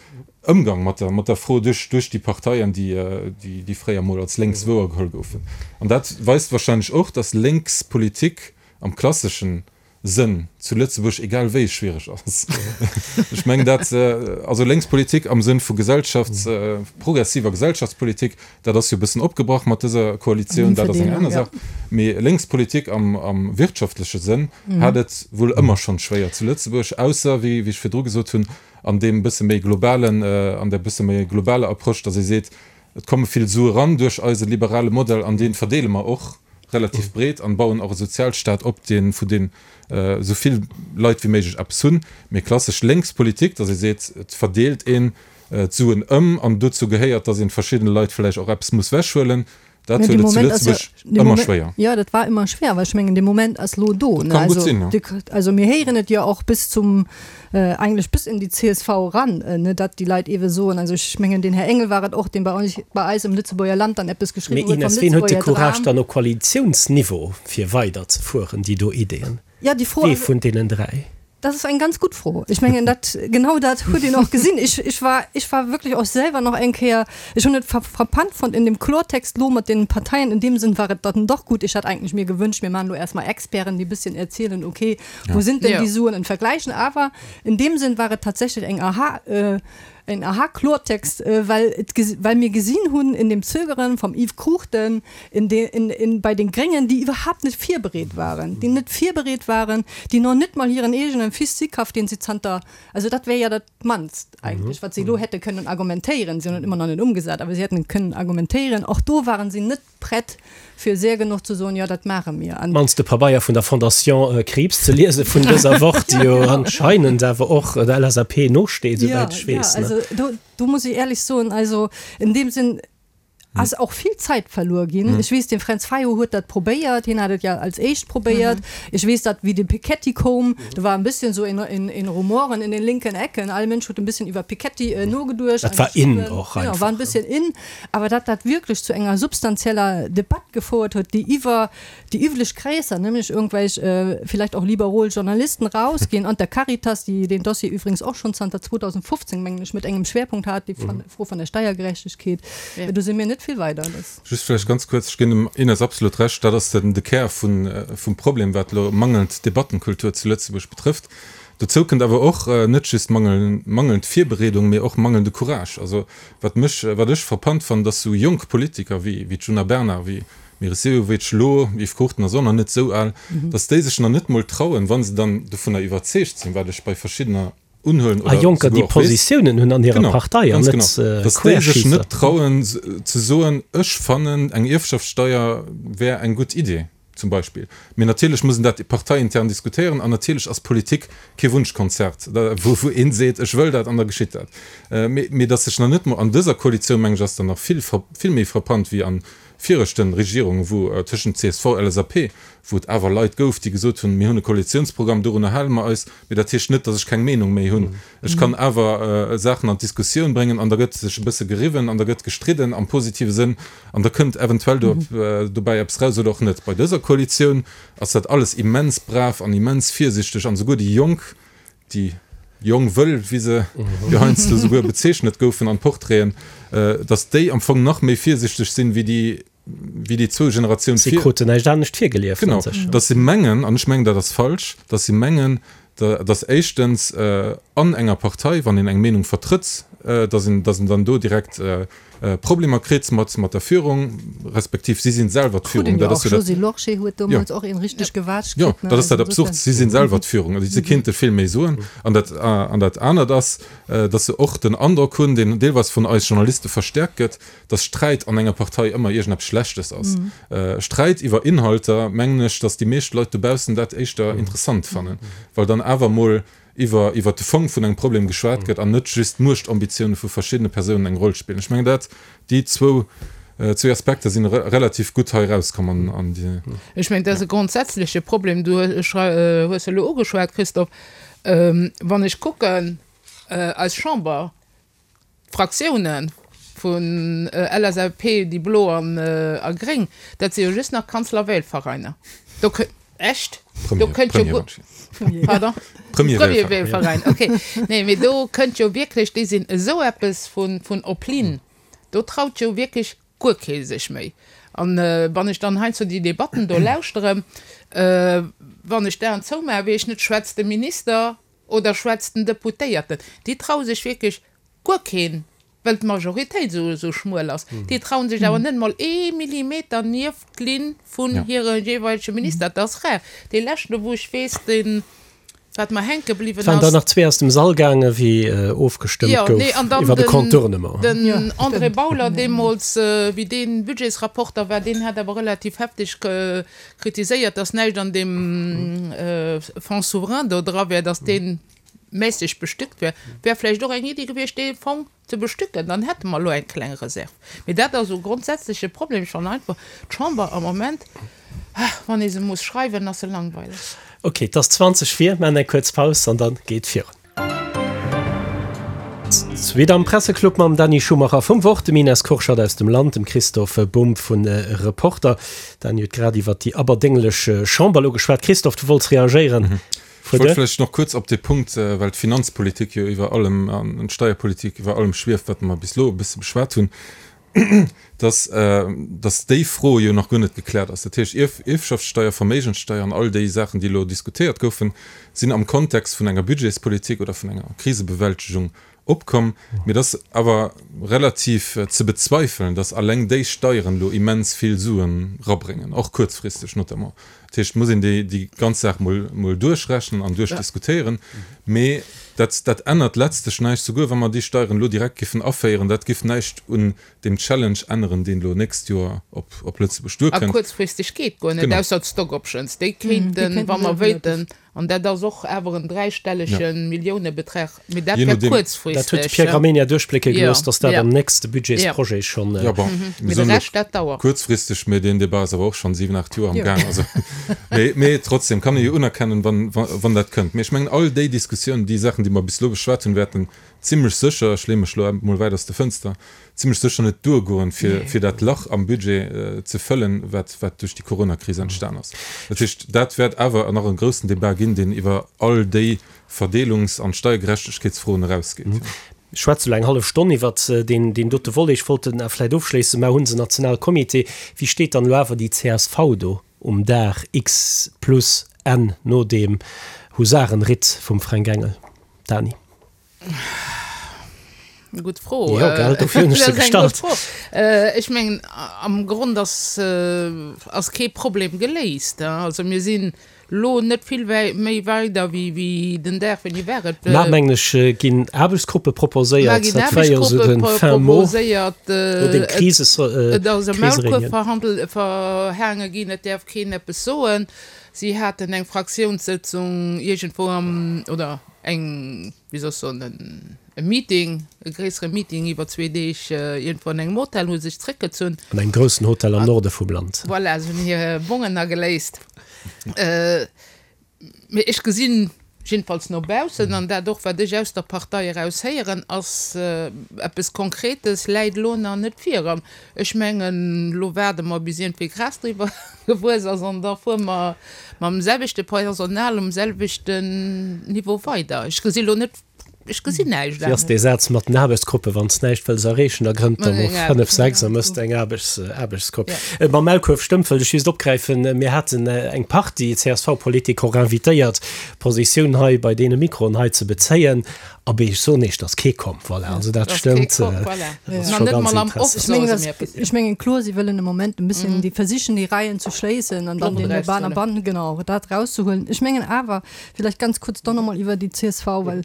Ëmgang mat der, mat der Fro duerch, duerch déi Parteien, déi, déi fréier emol als lénks wouergeholl goufen. An dat weist wahrscheinlech och, dass lénks Politik am klasseschen Sënn zu Lëtzebuerg egal wéi schwiereg ass. Ech mengen dat, also lénks Politik am Sënn vu Gesellschafts-, progressiver Gesellschaftspolitik, dat ass jo e bëssen opgebrach mat dëser Koalitioun, dat ass eng aner Saach. Mee lénks Politik am, am wirtschaftleche Sënn hat et wuel ëmmer schonn schwéier zu Lëtzebuerg, ausser, wéi, wéi ech virdru gesot hunn, an deem bësse méi globalen, an där bësse méi globaler Approche, dass ee seet, et komme vill Sue ran duerch eise liberale Modell an dee verdeele mer och relativ breet an bauen och e Sozialstaat op, deen, vu deem esou vill Leit wéi méiglech eppes hunn. Mee klassesch lénks Politik, dass ee seet, et verdeelt een d'Suen ëm an dozou gehéiert, dass ee verschiddene Leit vläicht och eppes muss wechhuelen, Dat huet et zu Lëtzebuerg ëmmer schwéier. Jo, dat war ëmmer schwéier, well ech mengen, dee Moment ass elo do. Dat kann gutt sinn, jo. Also mir héieren et jo och bis zum, eigentlech bis in déi csv eran, ne, datt déi Leit eebe soen, also ech mengen, den Här Engel war et och, deen bei eis, bei eis am Lëtzebuerger Land dann eppes geschriwwen huet vom Mee Ines, wien huet de Courage dann op Koalitiounsniveau fir weiderzefueren, déi do Ideeën? Ja, déi Fro. Wee vun deenen dräi? Dat ass eng ganz gutt Fro. Ech mengen, dat, genau dat huet een och gesinn. Ech, ech war, ech war wierklech och selwer nach eng Kéier, ech hunn et frappant fonnt in dem Klortext lo mat den Parteien. In dem Sënn war et dann doch gutt. Ech hat eigentlech mir gewünscht, mir maachen lo erst mal Experten, déi e bisschen erzielen, okay, wo sind denn déi Suen und vergleichen. Awer in dem Sënn war et tatsächlech eng Aha, en Aha-Klortext, well et, well mir gesinn hunn in dem Zögeren vom Yves Cruchten, in de, in, in, bei den Gréngen, déi iwwerhaapt net virbereet waren, déi net virbereet waren, déi nach net mol hiren eegenen Fils Sicaf, deen si zanter, also dat wär jo dat mannst eigentlech, wat si elo hätte kënnen argumentéieren, si hunn et ëmmer nach net ëmgesat, awer si hätten et kënnen argumentéieren, och do waren si net prett, fir séier genuch ze soen, jo, dat maache mir. An. Mannst de Pabeier vun der Fondation Krieps ze liese vun dëser Woch, déi jo anscheinend awer och der LSAP nosteet, souwäit ech weess. Jo, also do, do muss ech éierlech soen, also in deem Sënn ass och vill Zäit verluer ginn. Ech weess, de Fränz Fayot huet dat probéiert, hien hat et jo als éischt probéiert. Ech weess, datt wéi de Piketty koum, do war en bisschen so in, in, in Rumoren in den linken Ecken, all Mënsch huet en bisschen iwwer Piketty nogeduecht. Dat war in och einfach. Genau, war en bisschen in. Awer datt dat wierklech zu enger substanzieller Debatt gefouert huet, déi iwwer déi üblech Kreesser, nämlech irgendwelch vielleicht och liberol Journalisten rausginn, an der Caritas, déi deen Dossier übrigens och schonn zanter zweedausendfofzéng, mengen ech, mat engem Schwerpunkt hat, déi Fro vun der Steiergerechtegkeet, do si mir net vill weider. Just vläicht ganz kuerz, ech ginn dem Ines absolut Recht, dat ass den de Kär vum Problem, wat elo mangelnd Debattenkultur zu Lëtzebuerg betrëfft. Dozou kënnt awer och net just mangelnd Virbereedung, mee och mangelnde Courage. Also wat mech, wat ech frappant fannen, dass sou jonk Politiker wéi wéi d'Djuna Bernard, wéi Meris Sehovic elo, Yves Cruchten ass och nach net sou al, dass déi sech nach net mol trauen, wa se dann dovunner iwwerzeegt sinn, wat ech bei verschiddener unhuelen oder souguer och weess. A Jonker, déi Positiounen hunn an hirer Partei an net Querschießer. Dass déi sech net trauen ze soen, ech fannen eng Ierfschaftssteier wär eng gutt Idee. Zum Beispill. Mee natierlech muss een dat parteiintern diskutéieren an natierlech ass Politik kee Wunschkonzert, wou wou een seet, ech wëll dat an da geschitt dat. Mee mee datt sech nach net mol an dëser Koalitioun, meng ech, ass dann nach vill vill méi frappant wéi an viregten Regierungen, wou tëschent csv, LSAP, wou et awer Leit gouf, déi gesot hunn, mir hunn e Koalitiounsprogramm, dorunner hale mer eis, mee dat heescht net, datt ech keng Meenung méi hunn. Ech kann awer Saachen an d'Diskussioun bréngen an da gëtt sech e bësse geriwwen an da gëtt gestridden am positive Sënn an da kënnt eventuell do dobäi eppes raus oder och net. Bei dëser Koalitioun ass dat alles immens brav an immens virsichteg an esouguer déi Jonk, déi jong Wëll, wéi se jo heiansdo esouguer bezeechnet goufen an Portraiten, datt déi am Fong nach méi virsichteg sinn wéi déi wéi déi zwou Generatioun vir. Si kruten näischt anescht virgelieft. Genau, datt se mengen, an ech mengen dat ass falsch, datt se mengen, datt éischtens an enger Partei, wann een eng Meenung vertrëtt, dass een, dass een dann do direkt Problemer kritt mat, mat der Führung, respektiv si sinn selwer d'Führung. Dat ass jo dat. D'Josée Lorsché huet deemools och een richteg gewaatscht kritt. Jo, dat ass dat Absurd. Si sinn selwer d'Führung. Also si kinnte vill méi soen. An dat, an dat anert ass, dass se och den Androck hunn, deen deelweis vun eis Journaliste verstärkt gëtt, dass Sträit an enger Partei ëmmer iergendeppes Schlechtes ass. Sträit iwwer Inhalter, mengen ech, dass déi meescht Leit dobaussen dat éischter interessant fannen, well dann awer emol iwwer iwwer de Fong vun engem Problem geschwat gëtt an net just d'Muechtambitionen vu verschiddene Persounen eng Roll spillen. Ech mengen dat, déi zwou zwee Aspekter sinn relativ gutt hei erauskomm an an déi. Ech mengen, dat ass e grondsätzleche Problem. Du hues elo ugeschwat, Christophe, wann ech kucken, eis Chamber, D'Fraktiounen vun L S A P, déi Blo an a Gréng, dat si jo just nach Kanzlerwählvereiner. Do kö, echt? Do kënnt jo guer, pardon? Premierwählverein, okay. Nee, mee do kënnt jo wierklech, déi sinn esou eppes vun, vun op Linn, do traut jo wierklech guer kee sech méi. An wann ech dann heiansdo déi Debatten do lauschteren, wann ech d'Aen zoumaachen, weess ech net, schwätzt de Minister oder schwätzt den Deputéierten? Déi traue sech wierklech guer keen, well d'Majoritéit esou esou schmuel ass. Déi traue sech awer net emol ee Millimeter nieft d'Linn vun hire jeeweilege Minister. Dat ass rar. Dee leschten, wou ech weess, deen, wat mer hänke Et bliwwen waren der ass. nach zwee aus dem Sall gaangen, wéi ofgestëmmt Jo, gouf nee, an dann iwwer de den, Contournement. den André Bauler deemools, wéi dee Budgetsrapporter war, deen hat awer relativ hefteg kritiséiert, dass näischt an deem Fonds souverain do dra wär, dass dee mässeg bestückt wär. Wär vläicht och eng Iddi gewiescht, dee Fong ze bestücken, dann hätte mer elo eng kleng Reserv. Mee dat ass e grondsätzleche Problem. Ech fannen einfach d'Chamber am Moment, wann ee se muss schreiwen, ass se langweileg. Ok, et ass zwanzeg vir, maachen eng kuerz Paus an dann geet virun. Zweet am Presseclub mam Dany Schumacher vum Wort, dem Ines Kurschat aus dem Land, dem Christophe Bumb vun Reporter. Dany huet grad iwwert déi aberdénglech Chamber elo geschwat. Christophe, du wollts reagéieren. Ech wollt vläicht nach kuerz op dee Punkt, well d'Finanzpolitik jo iwwer allem an d'Steierpolitik iwwer allem schwieft, wat mer bis elo e bësse beschwat hunn, dass, dass déi Fro jo nach guer net gekläert ass. Dat heescht, Ierf, Ierfschaftssteuer, Verméigenssteuer an all déi Saachen, déi elo diskutéiert goufen, sinn am Kontext vun enger Budgetspolitik oder vun enger Krisebewältegung opkomm. Mee et ass awer relativ ze bezweifelen, dass alleng déi Steieren elo immens vill Suen rabréngen, och kuerzfristeg notamment. Dat heescht, et muss een déi, déi ganz Saach mol, mol duerchrechnen an duerchdiskutéieren. Mee dat, dat ännert letztlech näischt, souguer wa mer déi Steieren elo direkt giffen aféieren, dat giff näischt un deem Challenge änneren, deen elo nächst Joer op, op Lëtzebuerg A duerkënnt. kuerzfristeg geet guer net, Genau. ausser d'Stock Options, déi Déi kéinten, kéinten wa mer relativ. wéilten, an dat ass och awer en dräistellege Milliounebeträg, mee dat Je wär nodeem. Dat huet kuerzfristeg. de Pierre Gramegna duerchblécke Jo, gelooss, datt dat jo. am nächste Jo. Budgetsprojet schonn. Ja, bon, mir Mee de soen elo Rescht, dat dauert. kuerzfristeg, mee deen Debat ass awer och schonn siwen, aacht Joer am Jo. Gaang. Also, mee, mee trotzdem kann ee jo unerkennen, wann, wann dat kënnt. Mee ech mengen, all déi Diskussiounen, déi Saachen, déi mer bis elo beschwat hunn, wäerten zimlech sécher, ech leeë mech elo emol wäit aus der Fënster, zimlech sécher net duergoen, fir, fir dat Lach am Budget ze fëllen, wat, wat duerch déi Coronakris entstan ass. Dat heescht, dat wäert awer nach e groussen Debat ginn, deen iwwer all déi Verdeelungs an Steiergerechtegkeetsfroen erausgeet. Ech schwätze elo eng hallef Stonn iwwert deen, deen dote Volet. Ech wollt en vläicht ofschléissen. Mar hunn se Nationalcomité. Wéi steet dann elo awer déi C S V do um Dag X plus N no deem Husarenritt vum Fränk Engel? Dany. Gutt Fro. Jo, gell, dofir hunn ech se Dat ass eng gutt gestallt. Fro. Ech mengen, am Grond ass, ass kee Problem geléist. Also mir sinn elo net vill méi weider wéi, wéi den Dag, wéini war et? Mar, mengen ech, ginn Aarbechtsgruppe Mar proposéiert. ginn Dat war jo esou Aarbechtsgruppe den fin mot proposéiert. no deem Krises, Et ass e Maulkuerf Krisereunion. verhandelt, verhaange ginn, et däerf keen eppes soen. Si haten eng Fraktiounssëtzung iergendwou am, oder eng, wéi soll ech soen, e Meeting, e gréissere Meeting iwwer zwee Deeg iergendwou an engem Hotel, hu sech zréckgezunn. An engem groussen Hotel am Norde vum Land. Voilà, se hunn hir Bongen ageléist. Mee ech gesinn, jiddefalls no baussen, an dat och wat ech aus der Partei eraus héieren, ass eppes Konkretes läit elo nach net vir. An ech mengen, elo waarde mer bis iergendwéi Gras driwwer gewuess ass an da fuere mer mam selwechte Personal um selwechten Niveau weider. Ech gesi elo net ech gesinn näischt Wéi ass anescht. dee Saz mat den Aarbechtsgruppen, Wann s näischt wëlls erreechen, da grënnt der mol Ja, fënnef, sechs a ja. mëss eng Aarbechts, Aarbechtsgrupp. Ja. Äh, Mam Maulkuerf stëmmt, wëllt ech just opgräifen, mir haten eng Partie C S V-Politiker och invitéiert, Positioun hei bei deene Mikroen hei ze bezéien. Abee, ech soen Iech, et ass kee komm. Voilà, also dat Et ass kee stëmmt, komm, äh, voilà. dat ass Nach scho net ganz mol am interessant. Off Ech mengen, soe se dass, mir eppes. ech mengen, kloer, si wëllen e Moment e bësschen, déi versichen déi Reien ze schléissen an dann D'Loft den Ban a erauszehuelen. Bann, genau, dat rauszehuelen. Ech mengen awer, vielleicht ganz kurz doch nochmal iwwer déi C S V, well,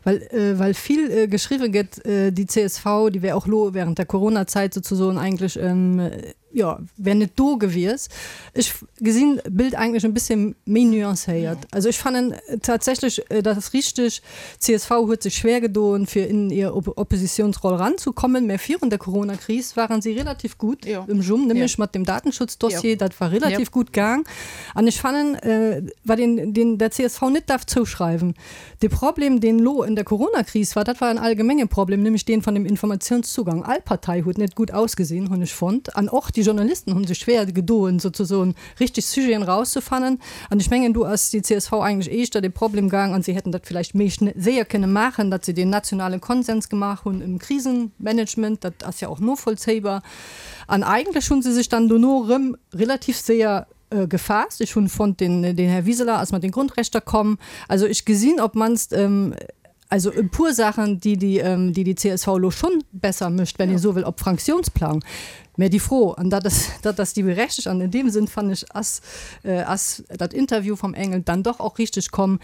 well, äh, well vill, äh, geschriwwe gëtt, äh, déi C S V, déi wär och lo während der Corona-Zäit sozusagen eigentlech, ähm, jo, wär net do gewiescht. Ech gesinn d'Bild eigentlech e bësse méi nuancéiert. Also ech fannen tatsächlech, äh, dat ass richteg, C S V huet sech schwéier gedoen, fir in hir Op-, Oppositionsroll ranzekommen. Mä virun der Corona-Kris waren si relativ gutt Jo. um Jumm, nämlech Jo. mat dem Datenschutzdossier, Jo. dat war relativ Jo. gutt gaang. An ech fannen, äh, wat een den der C S V net darf zouschreiwen, de Problem, deen lo in der Corona-Kris war, dat war en allgemenge Problem, nämlech deen vun dem Informatiounszugang. All Partei huet net gutt ausgesinn, hunn ech fonnt. An och déi Journalisten hunn sech schwéier gedoen, sozusagen richteg Sujeten rauszefannen. An ech mengen, do ass déi C S V eigentlech éischter de Problem gaang an si hätten dat vläicht méi schne-, séier kënne maachen, datt se den nationale Konsens gemaach hunn im Krisenmanagement, dat ass ja och novollzéibar. An eigentlech hunn se sech dann dono rëm relativ séier, äh, gefaasst. Ech hunn fonnt, den, den Här Wiseler ass mat den Grundrechter komm. Also ech gesinn, op mannst, ähm, also e puer Saachen, déi déi, ähm, déi déi C S V lo schonn besser mécht, wenn Ja. ee sou wëll, op Fraktiounsplang. Mä déi Fro, an dat ass, dat ass déi berechtegt, an in deem Sënn fannen ech, ass, äh, ass dat Interview vum Engel dann doch och richteg komm,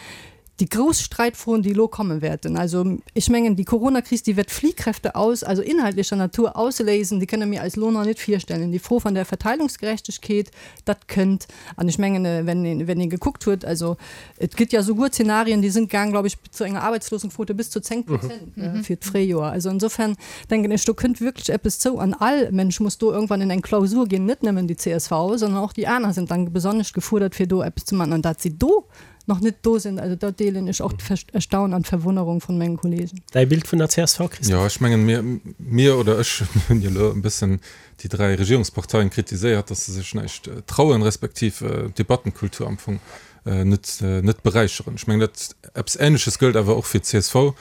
déi grouss Sträitfroen, déi lo komme wäerten. Also ech mengen, déi Corona-Kris, déi wäert Fliehkräfte aus, also inhaltlecher Natur ausléisen, déi kënne mir eis lo nach net virstellen. Déi Fro vun der Verteilungsgerechtegkeet, dat kënnt. An ech mengen, äh, wenn een, wenn een gekuckt huet, also et gëtt ja souguer Zenarien, déi sinn gaang, glaub ech, zu enger Arbeitslosenquote bis zu zéng Prozent, Mhm. ne, fir d'Fréijoer. Also insofern denken ech, do kënnt wierklech eppes zou. An all Mensch muss do irgendwann in eng Klausur ginn, net nëmmen déi C S V, sondern och déi aner sinn dann besonnesch gefuerdert, fir do eppes ze maachen. An datt si do nach net do sinn, also do deelen ech och d'Ver-, Erstaunen an d'Verwonnerung vun menge Kollegen. Däi Bild vun der C S V, Christophe? Jo, ech mengen, mir, mir oder ech hunn jo elo e bëssen déi dräi Regierungsparteien kritiséiert, datt se sech näischt, äh, trauen, respektiv, äh, d'Debattenkultur am Fong, äh, net, äh, net beräicheren. Ech mengen, dat eppes Ähnleches gëllt awer och fir d'C S V.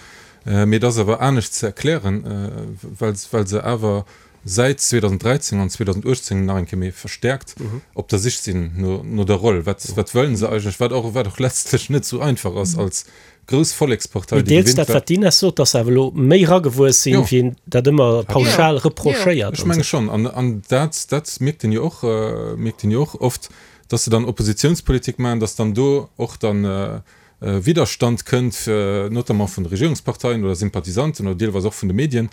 Äh, mee dat ass awer anescht ze erklären, äh, well, well se awer säit zweedausenddräizéng an zweedausenduechtzéng nach eng Kéier méi verstäerkt Mhm. op der Sich sinn no, no der Roll. Wat, wat wëllen se eigentlech, wat och, wat och letztlech net sou einfach ass Mhm. als grouss Vollekspartei, Mee déi deels gewinnt dat, war. wat d'Ines sot, datt se awer elo méi eragewuess sinn, Jo. wéi een dat ëmmer Ja. pauschal Jo. reprochéiert Ech an menge sou. schonn. An, an dat, dat mierkt een jo och, äh, mierkt een jo och oft, datt se dann Oppositionspolitik maachen, datt dann do och dann, äh, äh, Widerstand kënnt, äh, notamment vun de Regierungsparteien oder Sympathisanten oder deelweis och vun de Medien.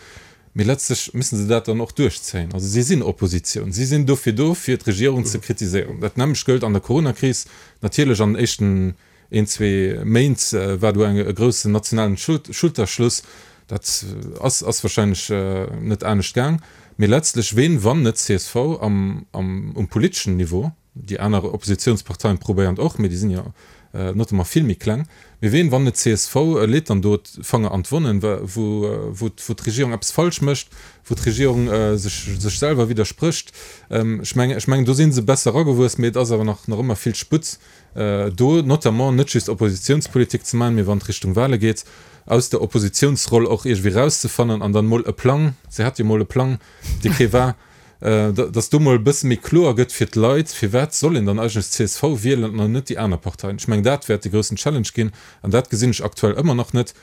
Mee letztlech musse se dat dann och duerchzéien. Also si sinn Oppositioun. Si sinn dofir do, fir d'Regierung ze kritiséieren. Dat nämmlecht gëllt an der Corona-Kris. Natierlech an den éischten een, zwee Méint, äh, war do eng, e groussen nationalen Schul-, Schulterschluss. Dat, äh, ass, ass warscheinlech, äh, net anescht gaang. Mee letztlech, ween, wann net C S V am, am, um politeschen Niveau, déi aner Oppositionsparteien probéieren och, mee déi sinn jo, äh, notamment vill méi kleng. Mee ween, wann net C S V, äh, leet dann do d'Fanger an d'Wonnen, wa-, wou, äh, wou, wou d'Regierung eppes falsch mécht, wou d'Regierung, äh, sech, sech selwer widdersprécht. Ähm, ech mengen, ech mengen, do sinn se besser eragewuess, mee et ass awer nach, nach ëmmer vill Sputt, äh, do notamment net just Oppositionspolitik ze maachen, mee wann et Richtung Wale geet, aus der Oppositionsroll och iergendwéi rauszefannen an dann mol e Plang, se hat jo mol e Plang, dee kee war, äh, da-, datt do mol e bësse méi kloer gëtt fir d'Leit, firwat soll een dann eigentlech C S V wielen an net déi aner Parteien. Ech mengen, dat wäert de groussen Challenge ginn an dat gesinn ech aktuell ëmmer nach net.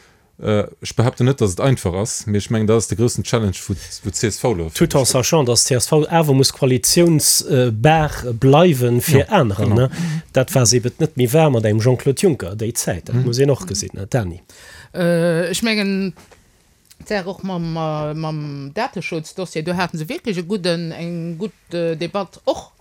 Äh, ech behaapten net, datt et einfach ass, mee ech mengen, dat ass de groussen Challenge, wou, wou d'C S V lo Tout en sachant, datt d'C S V awer muss koalitiounsbar bleiwen fir Ja, anerer, genau. ne? Dat war se eben net méi war mat engem Jean-Claude Juncker déi Zäit, dat Mhm. muss een och gesinn, ne? Dani. Äh, ech mengen, d'Saach och mam, äh, mam Dateschutzdossier, do haten se wierklech e gudden, eng gutt, äh, Debatt och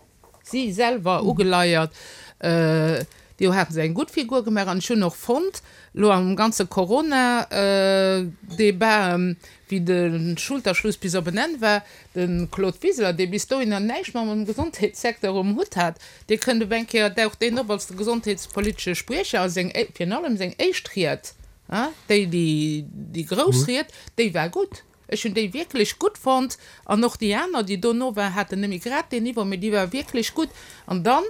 si selwer Mhm. ugeleiert. Äh, do haten se eng gutt Figur gemaach an ech hunn och fonnt, lo am ganze Corona, äh, Debat, ähm, wéi de Schulterschluss bis op en Enn war, de Claude Wiseler, dee bis dohinner näischt mam Gesondheetssecteur um Hutt hat, dee kënnt op eng Kéier, daucht deen op als de gesondheetspolitesche Spriecher a seng é-, virun allem seng éischt Ried, ah, déi, déi, déi grouss Mhm. Ried, déi war gutt. Ech hunn déi wierklech gutt fonnt an och déi aner, déi dono war, haten net méi grad deen Niveau, mee déi war wierklech gutt. An dann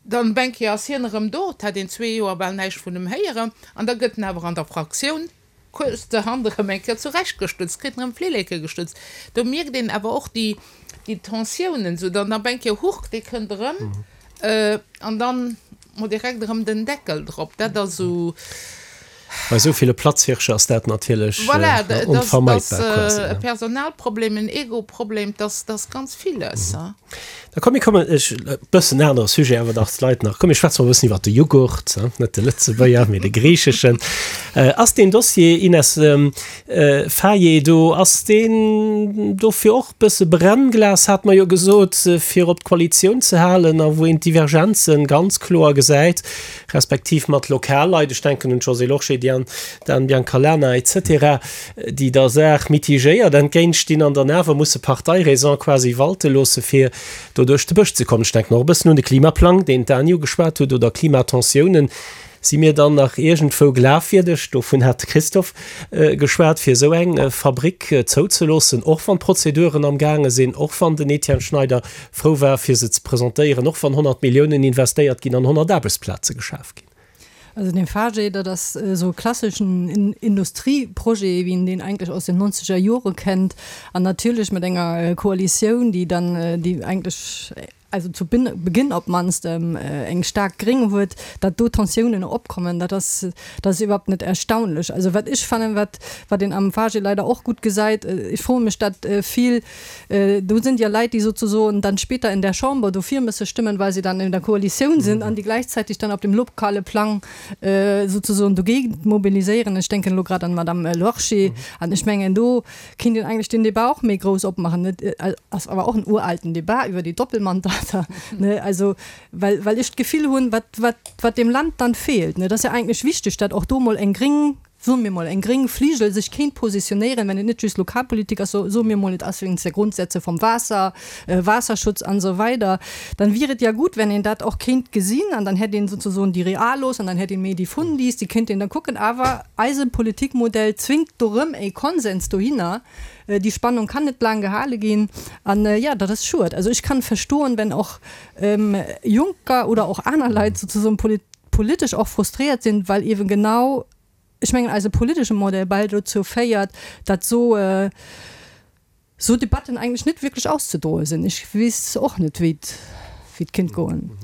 Dann op eng Kéier ass hien erëm do, et hat een zwee Joer bal näischt vun em héieren, an da gëtt en awer an der Fraktioun kuerzerhand erëm eng Kéier zurechtgestutzt, kritt en erëm d'Flilleke gestutzt. Do mierkt een awer och déi, déi Tensiounen, esou dann op eng Kéier, huch, dee kënnt erëm, an dann mol direkt erëm den Deckel drop. Dat ass esou. Bei esou ville Platzhirsche ass dat natierlech Voilà, dat ass onvermeidbar quasi. e Personalproblem, en Ego-Problem, dat ass ganz villes. Da komm, mir kommen, ech, e bëssen anere Sujet, awer dach d'Leit nach, komm mir schwätze mol e bëssen iwwert de Jughurt, net de Lëtzebuerger, mee de griicheschen. Ass deen Dossier, Ines Faye, do, ass deen dofir och e bësse Brennglas, hat mer jo gesot, fir op d'Koalitioun ze halen a wou een d'Divergenzen ganz kloer gesäit, respektiv mat Lokalleit, ech denken un d'Josée Lorsché, déi an d'Anne Biancalana et cetera, déi der Saach mitigéiert entgéintstinn an dann awer musse Parteiräson quasi walte loosse fir do duerch de Bësch ze kommen. Ech denken och e bëssen un de Klimaplang, deen d'Anne ugeschwat huet, oder Klimatensiounen. Si mir dann nach iergendwou glafwierdeg, dovun hat de Christophe geschwat, fir esou eng Fabrick zouzeloossen, och wann d'Prozeduren am gaange sinn, och wann den Etienne Schneider frou war, fir se ze presentéieren, och wann honnert Milliounen investéiert ginn an honnert Aarbechtsplaze geschaf ginn? Also den Faget, dat ass esou e klasseschen Industrieprojet, wéi een deen eigentlech aus den nonzeger Jore kennt, an natierlech mat enger Koalitioun, déi dann, déi eigentlech, also zu Beginn op d'mannst eng staark Gréng huet, datt do Tensiounen opkommen, dat ass, dat ass iwwerhaupt net erstaunlech. Also wat ech fannen, wat, wat een am Faget leider och gutt gesäit, ech froe mech dat vill, do sind ja Leit, déi sozusoen dann später in der Chamber dofir müsse stimmen, weil sie dann in der Koalitioun sind an déi gleichzeitig dann op dem lokale Plang sozusoen dogéint mobiliséieren. Ech denken elo grad an d'Madame Lorsché. An ech mengen, do kéint een eigentlech den Débat och méi grouss opmachen, net? Ass awer och en uralten Débat iwwer déi Doppelmandater, ne? Also, well, well ech d'Gefill hunn, wat, wat, wat dem Land dann feelt, ne? Et ass jo eigentlech wichteg, datt och do mol eng gréng, soe mir mol, eng gréng Fligel sech kéint positionéieren, wenn et net just Lokalpolitik ass, soe mir mol, et ass wéinst der Grundsätze vom Waasser, Waasserschutz an esou weider, dann wier et ja gut, wenn een dat och kéint gesinn an dann hätt een sozusoen déi Realos an dann hätt een méi déi Fundis, déi kéint een da kucken. Awer eise Politikmodell zwingt do rëm e Konsens dohinner. Déi Spannung kann net laang gehale ginn an, jo, dat ass schued. Also ech kann verstoen, wenn och Jonker oder och aner Leit sozusoen politesch och frustréiert sinn, well eeben genau, ech mengen, eise politesche Modell bal dozou féiert, datt esou esou Debatten eigentlech net wierklech auszedroe sinn. Ech weess och net, wéi et wéi et kéint goen.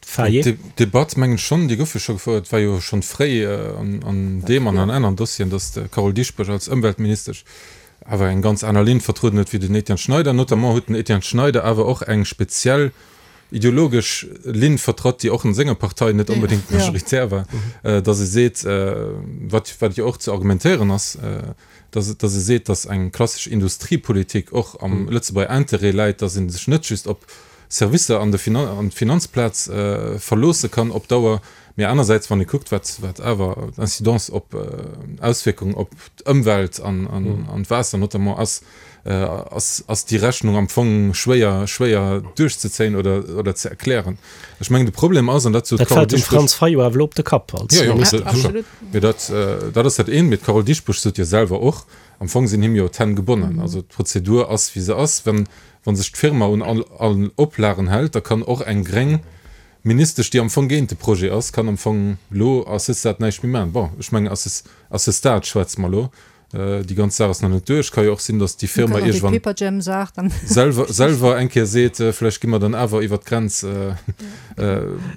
Faye. D'Debatt, mengen ech schonn, déi gouf jo scho gefouert, et war jo schonn fréi an deem an an aneren Dossieren, datt d'Carole Dieschbourg als Ëmweltministesch awer eng ganz aner Linn vertrueden huet wéi den Etienne Schneider. Notamment huet den Etienne Schneider awer och eng speziell ideologesch Linn vertratt, déi och an senger Partei net onbedéngt majoritär war, datt e seet, wat wat jo och ze argumentéieren ass, datt datt e seet, datt eng klassesch Industriepolitik och am Lëtzebuerger Interêt läit, datt ee sech net just op Servicer an de an d'Finanzplaz verloosse kann op Dauer, mee anersäits, wann ee kuckt, wat wat awer d'Incidence op Auswierkung op d'Ëmwelt an an d'Waasser notamment ass, ass ass déi Rechnung am Fong schwéier schwéier duerchzezéien oder oder ze erklären. Ech mengen de Problem ass, an dat sot Dat d'Carole fält dem Dieschbourg, Franz Fayot awer elo op de Kapp als Jo, jo, Minister. sécher. Absolut. Mee dat dat ass dat eent. Mee d'Carole Dieschbourg sot jo selwer och, am Fong sinn him jo d'Hänn gebonnen. Also d'Prozedur ass wéi se ass. Wann wa sech d'Firma un all all Oplagen hält, da kann och eng gréng Ministesch, déi am Fong géint de Projet ass, kann am Fong elo à ce stade näischt méi maachen. Bon, ech mengen à ce à ce stade schwätze mer elo. Déi ganz Saach ass nach net duerch. Ka jo och sinn, datt déi Firma iergendwann selwer, selwer eng Kéier seet, vläicht gi mer dann awer iwwert d'Grenz.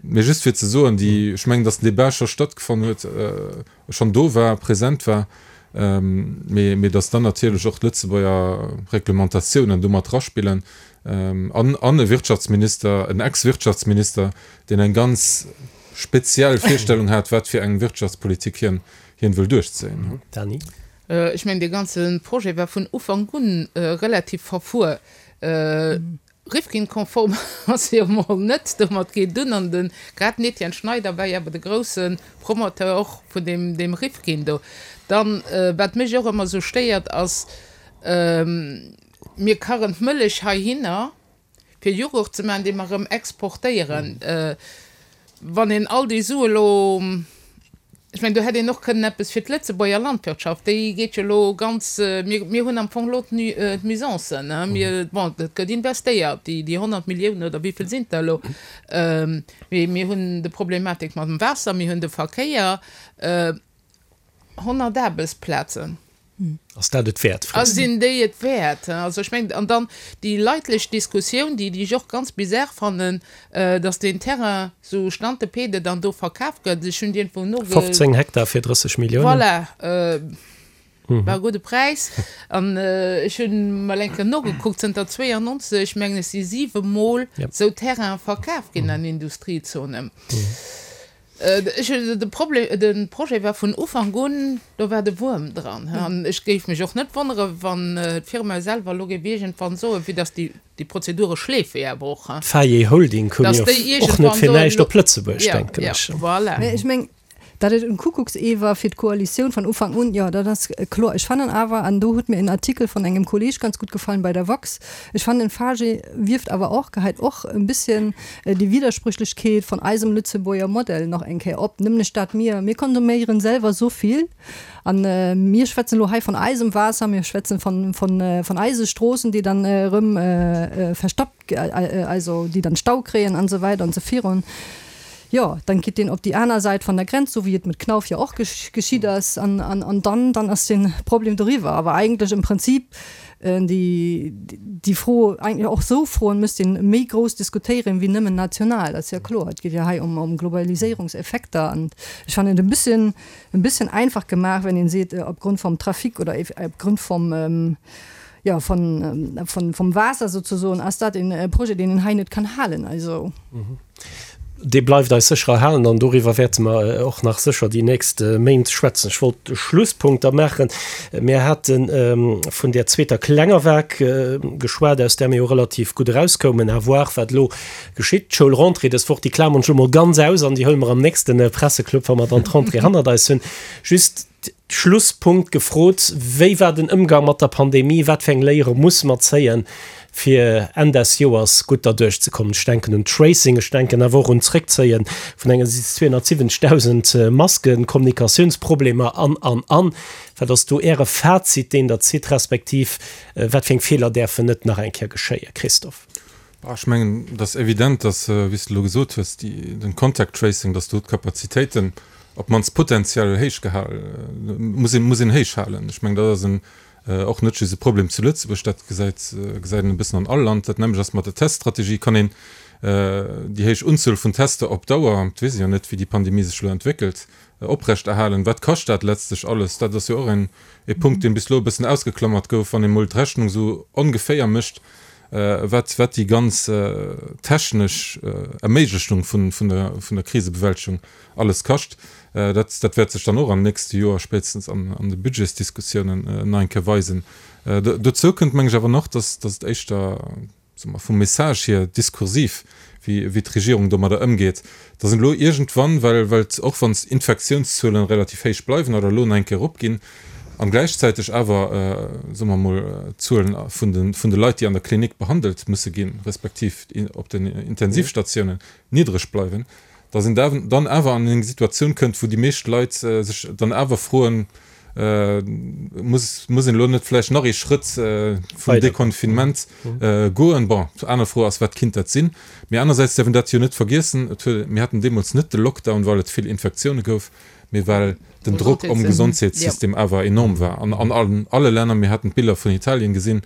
Mee just fir ze soen, déi, ech mengen, datt den Débat scho stattgefonnt huet, schonn do war, present war, mee, mee datt dann natierlech och d'Lëtzebuerger Reglementatiounen do mat eraspillen an, an e Wirtschaftsminister, en Ex-Wirtschaftsminister, deen eng ganz speziell Virstellung hat, wat fir eng Wirtschaftspolitik hien, hien wëll duerchzéien. Dany? Ech mengen, dee ganze Projet war vun Ufank un relativ verfuer. Rifkin-konform ass e jo mol net. Domat geet et un. An de grad den Etienne Schneider war jo awer de grousse Promoteur och vun deem, deem Rifkin do. Dann, wat mech och ëmmer esou stéiert, ass, mir karren d'Mëllech heihinner, fir Jughurt ze maachen, dee mer erëm exportéieren. Wann een all déi Sue lo Ech mengen, do hätt een och kënnen eppes fir d'Lëtzebuerger Landwirtschaft, déi geet jo elo ganz, mir, mir hunn am Fong elo d'Nuisancen, hein, mir, bon, et gëtt investéiert, déi, déi honnert Milliounen oder wéi vill sinn et der elo, mee mir hunn de Problematik mam Waasser, mir hunn de Verkéier, honnert Aarbechtsplazen. Ass dat et wäert, frees du? Sinn déi et wäert? Also ech mengen, an dann déi leitlech Diskussioun, déi, déi ech och ganz bizarre fannen, datt deen Terrain sou stante pede dann do verkaf gëtt. Ech hunn iergendwou noge. fofzéng Hektar fir drësseg Milliounen. Voilà, war e gudde Präis. An ech hunn mol eng Kéier nogekuckt, zënter zweeënnonzeg, mengen ech, si siwe Mol sou Terraine verkaf ginn an Industriezonen. Ech hunn de Problem, de Projet war vun Ufank un, do war de Wuerm dran. An ech géif mech och net wonnere wann d'Firma selwer elo géif iergendwann soen, vue dass déi, déi Prozedure schleefe jo awer och, D'Faye Holding koum jo och net fir näischt op Lëtzebuerg, denken ech. Ja, voilà. Mä ech meng, datt et en Kuckucksee war fir d'Koalitioun van Ufank un, jo, dat ass kloer. Ech fannen awer, an do huet mir en Artikel von engem Kolleg ganz gut gefallen bei der woxx, ech fannen, Fage wirft awer och, geheit och en bisschen déi Widersprüchlechkeet von eisem Lëtzebuerger Modell nach eng Kéier op, nämlech dat mir, mir konsuméieren selwer esou vill an mir schwätzen elo hei von eisem Waasser, mir schwätzen von, von, von eise Stroossen, déi dann erëm verstoppt, also déi dann Stau kréien an esou weider an esou virun. Jo, dann geet deen op déi aner Säit van der Grenz, sou wéi et mat Knauf jo och geschitt ass, an, an, an dann, dann ass den Problem doriwwer. Awer eigentlech im Prinzip déi, déi Fro, eigentlech och sou Froen müsst een méi grouss diskutéieren wéi nëmmen national. Dat ass jo kloer. Et geet jo hei ëm, ëm Globaliséierungseffekter an ech fannen et e bësschen, e bësschen einfach gemaach, wenn een seet, opgrund vom Trafic oder opgrund vom, jo, von, von, vom Waasser sozesoen, ass dat een Projet, deen een hei net kann halen. Also. Dee bleift eis sécher erhalen an doriwwer wäerte mer och nach sécher déi nächst Méint schwätzen. Ech wollt de Schlusspunkt da maachen. Mir hate vun där zweeter klenger Vague geschwat, aus där mir jo relativ gutt erauskoumen. À voir, wat elo geschitt. D'Schoulrentrée dës Woch, déi klamern ech elo mol ganz aus an déi huele mer am nächste Presseclub, wa mer dann d'Rentrée hannert eis hunn. Just Schlusspunkt gefrot, Wéi war den Ëmgang mat der Pandemie? Wat fir eng Léiere musse mer zéien, fir Enn des Joers gutt derduerch ze kommen? Ech denken un Tracing, ech denken awer och un d'Zréckzéie vun enge zweehonnertsiwwenzegdausend Masken, Kommunikatiounsproblemer an, an, an. Wat ass do Äre Fazit, deen Der zitt, respektiv wat fir eng Feeler däerfen net nach eng Kéier geschéien? Christophe. Ech mengen, et ass evident, dass, wéi s de elo gesot hues, déi, den Contact Tracing, dass do d'Kapazitéiten op d'mannst potenziell héich gehal, muss een, muss een héich halen. Ech mengen, dat ass en, och net just e Problem zu Lëtzebuerg, dat gesäit, gesäit een e bëssen an all Land. Dat nämmlecht ass mat der Teststrategie. Kann een déi héich Unzuel vun Tester op Dauer, et weess ee jo net, wéi déi Pandemie sech elo entwéckelt, oprechterhalen? Wat kascht dat letztlech alles? Dat ass jo och en, e Punkt, deen bis elo e bëssen ausgeklammert gouf. Wann ee mol d'Rechnung esou ongeféier mécht, wat, wat déi ganz technesch Erméiglechung vun, vun der, vun der Krisebewältegung alles kascht, dat, dat wäert sech dann och am nächste Joer spéitstens an, an de Budgetsdiskussiounen nach eng Kéier weisen. Dozou kënnt, meng ech, awer nach, dass, dass et éischter, soe mer, vum Message hier diskursiv, wéi, wéi d'Regierung domadder ëmgeet, dass een elo iergendwann, well, well och wann d'Infektiounszuelen relativ héich bleiwen oder elo nach eng Kéier eropginn, an gläichzäiteg awer, soe mer emol, d'Zuelen vun de, vun de Leit, déi an der Klinik behandelt musse ginn, respektiv op den Intensivstatiounen, niddreg bleiwen, dass een dann awer an eng Situatioun kënnt, wou déi meescht Leit sech dann awer froen, Muss, muss een elo net vläicht nach ee Schrëtt vum Deconfinement goen? Bon, aner Fro ass, wat kinnt dat sinn? Mee anersäits däerf een dat jo net vergiessen, et huet, mir haten deemools net de Lockdown, well et vill Infektioune gouf, mee well den Drock um Gesondheetssystem awer enorm war an an alle Länner. Mir haten d'Biller vun Italien gesinn,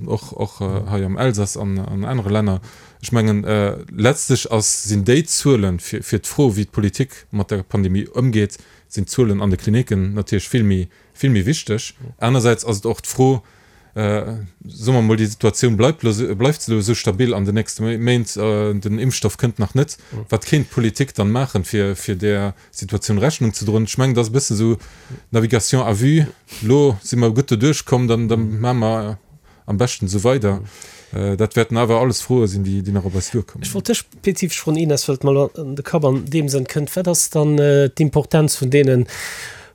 och och hei am Elsass an an anere Länner. Ech mengen, letztlech ass, sinn déi Zuelen fir fir d'Fro, wéi d'Politik mat der Pandemie ëmgeet, sinn d'Zuelen an de Klinicken natierlech vill méi, vill méi wichteg. Anersäits ass et och d'Fro, soe mer emol, déi Situatioun bleift elo, bleift se elo esou stabil an den nächste Méint, den Impfstoff kënnt nach net, wat kéint d'Politik dann maachen, fir, fir där Situatioun Rechnung ze droen? Ech mengen, dat ass e bëssen esou Navigation à vue, elo si mer gutt doduerch komm, dann, da maache mer am beschten esou weider. Dat wäerten awer alles Froe sinn, déi nach op eis duerkommen. Ech wollt dech spezifesch froen, Ines, well et mer elo an de Kapp an deem Sënn kënnt, Wat ass dann d'Importenz vun deene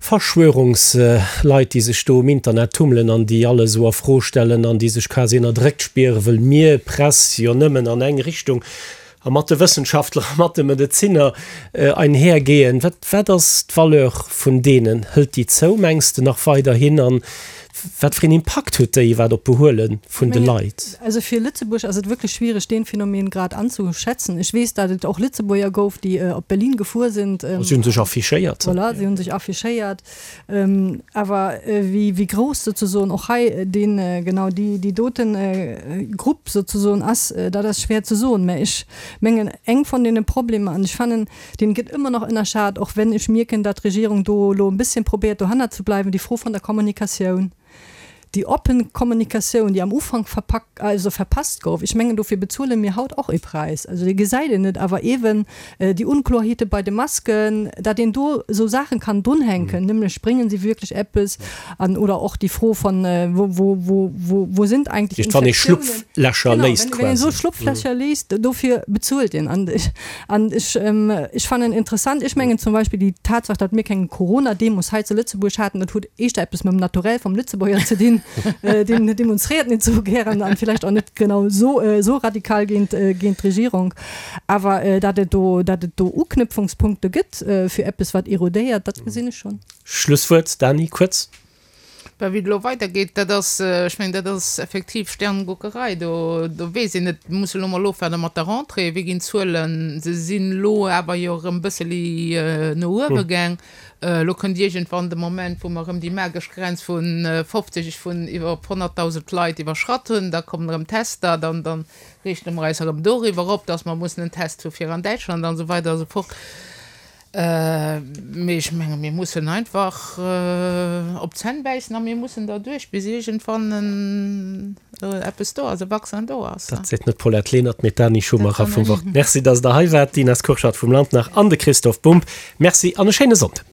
Verschwörungsleit, déi sech do um Internet tummelen an déi alles esou a Fro stellen an déi sech quasi ënnerdréckt spieren, wëll mir, Press, jo nëmmen an eng Richtung a mat de Wëssenschaftler a mat de Medezinner einhergehen. Wat, wat ass d'Valeur vun deenen? Hëlt déi zou, mengs de, nach weiderhin? An wat fir een Impakt huet déi iwwerhaapt op d'Behuele vun de Leit? Also fir Lëtzebuerg ass et wierklech schwiereg, deen Phänomen grad anzuschätzen. Ech weess, datt et och Lëtzebuerger gouf, déi op Berlin gefuer sinn. Si hunn sech affichéiert. Voilà, si hunn sech affichéiert. Awer wéi, wéi grouss souzesoen och hei deen, genau déi, déi doten Grupp souzesoen ass, dat ass schwéier ze soen. Mä ech mengen, eng vun deene Problemer, an ech fannen, deen gëtt ëmmer nach ënnerschat, och wenn ech mierken, datt d'Regierung do elo e bësschen probéiert dohannert ze bleiwen, déi Fro vun der Kommunikatioun. Déi oppen Kommunikatioun, déi am Ufank verpak, also verpasst gouf, ech mengen, dofir bezuele mir haut och ee Präis. Also dee gesäit een net, awer eeben déi Unkloerheete bei de Masken, datt een do esou Saachen kann drunhänken, nämlech bréngen se wierklech eppes an oder och déi Fro von wo, wo, wo, wo, wo sind eigentlich Wann ee Schlupflächer léist quasi. Genau, wenn een esou Schlupflächer léist, dofir bezuelt een. An ech, an ech, ech fannen interessant, ech mengen zum Beispill déi Tatsaach, datt mir keng Corona-Demos hei zu Lëtzebuerg haten, dat huet éischter eppes mam Naturell vum Lëtzebuerger ze dinn, deen demonstréiert net sou gären an villäicht och net genau sou, sou radikal géint, géint d'Regierung. Awer datt et do, datt et do Uknüpfungspunkte gëtt fir eppes wat erodéiert, dat gesinn ech schonn. Schlusswuert, Dany, kuerz. Bah, wéi et elo weidergeet, dat ass, ech mengen, dat ass effektiv Sterneguckerei. Do, do weess een net. Mir musse elo mol ofwaarde mat der Rentrée, wéi ginn d'Zuelen. Se sinn elo awer jo erëm e bësseli no uewe gaang. Elo kënnt iergendwann de Moment, wou mer erëm déi magesch Grenz vu fofzeg, vun iwwer honnertdausend Leit iwwerschratt hunn. Da kommen erëm Tester, dann, dann riichte mer eis erëm doriwwer op, dass mer mussen en Test hu fir an Däitschland an esou weider a sou fort. Mee ech menge mir mussen einfach op d'Zänn bäissen a mir mussen derduerch, bis iergendwann eppes do ass, e Vaccin do ass. Dat seet net d'Paulette Lenert, mee d'Dany Schumacher vum Wort. Merci, datt Der hei waart, d'Ines Kurschat vum Land nach an de Christoph Bumb. Merci an e schéine Sonnden.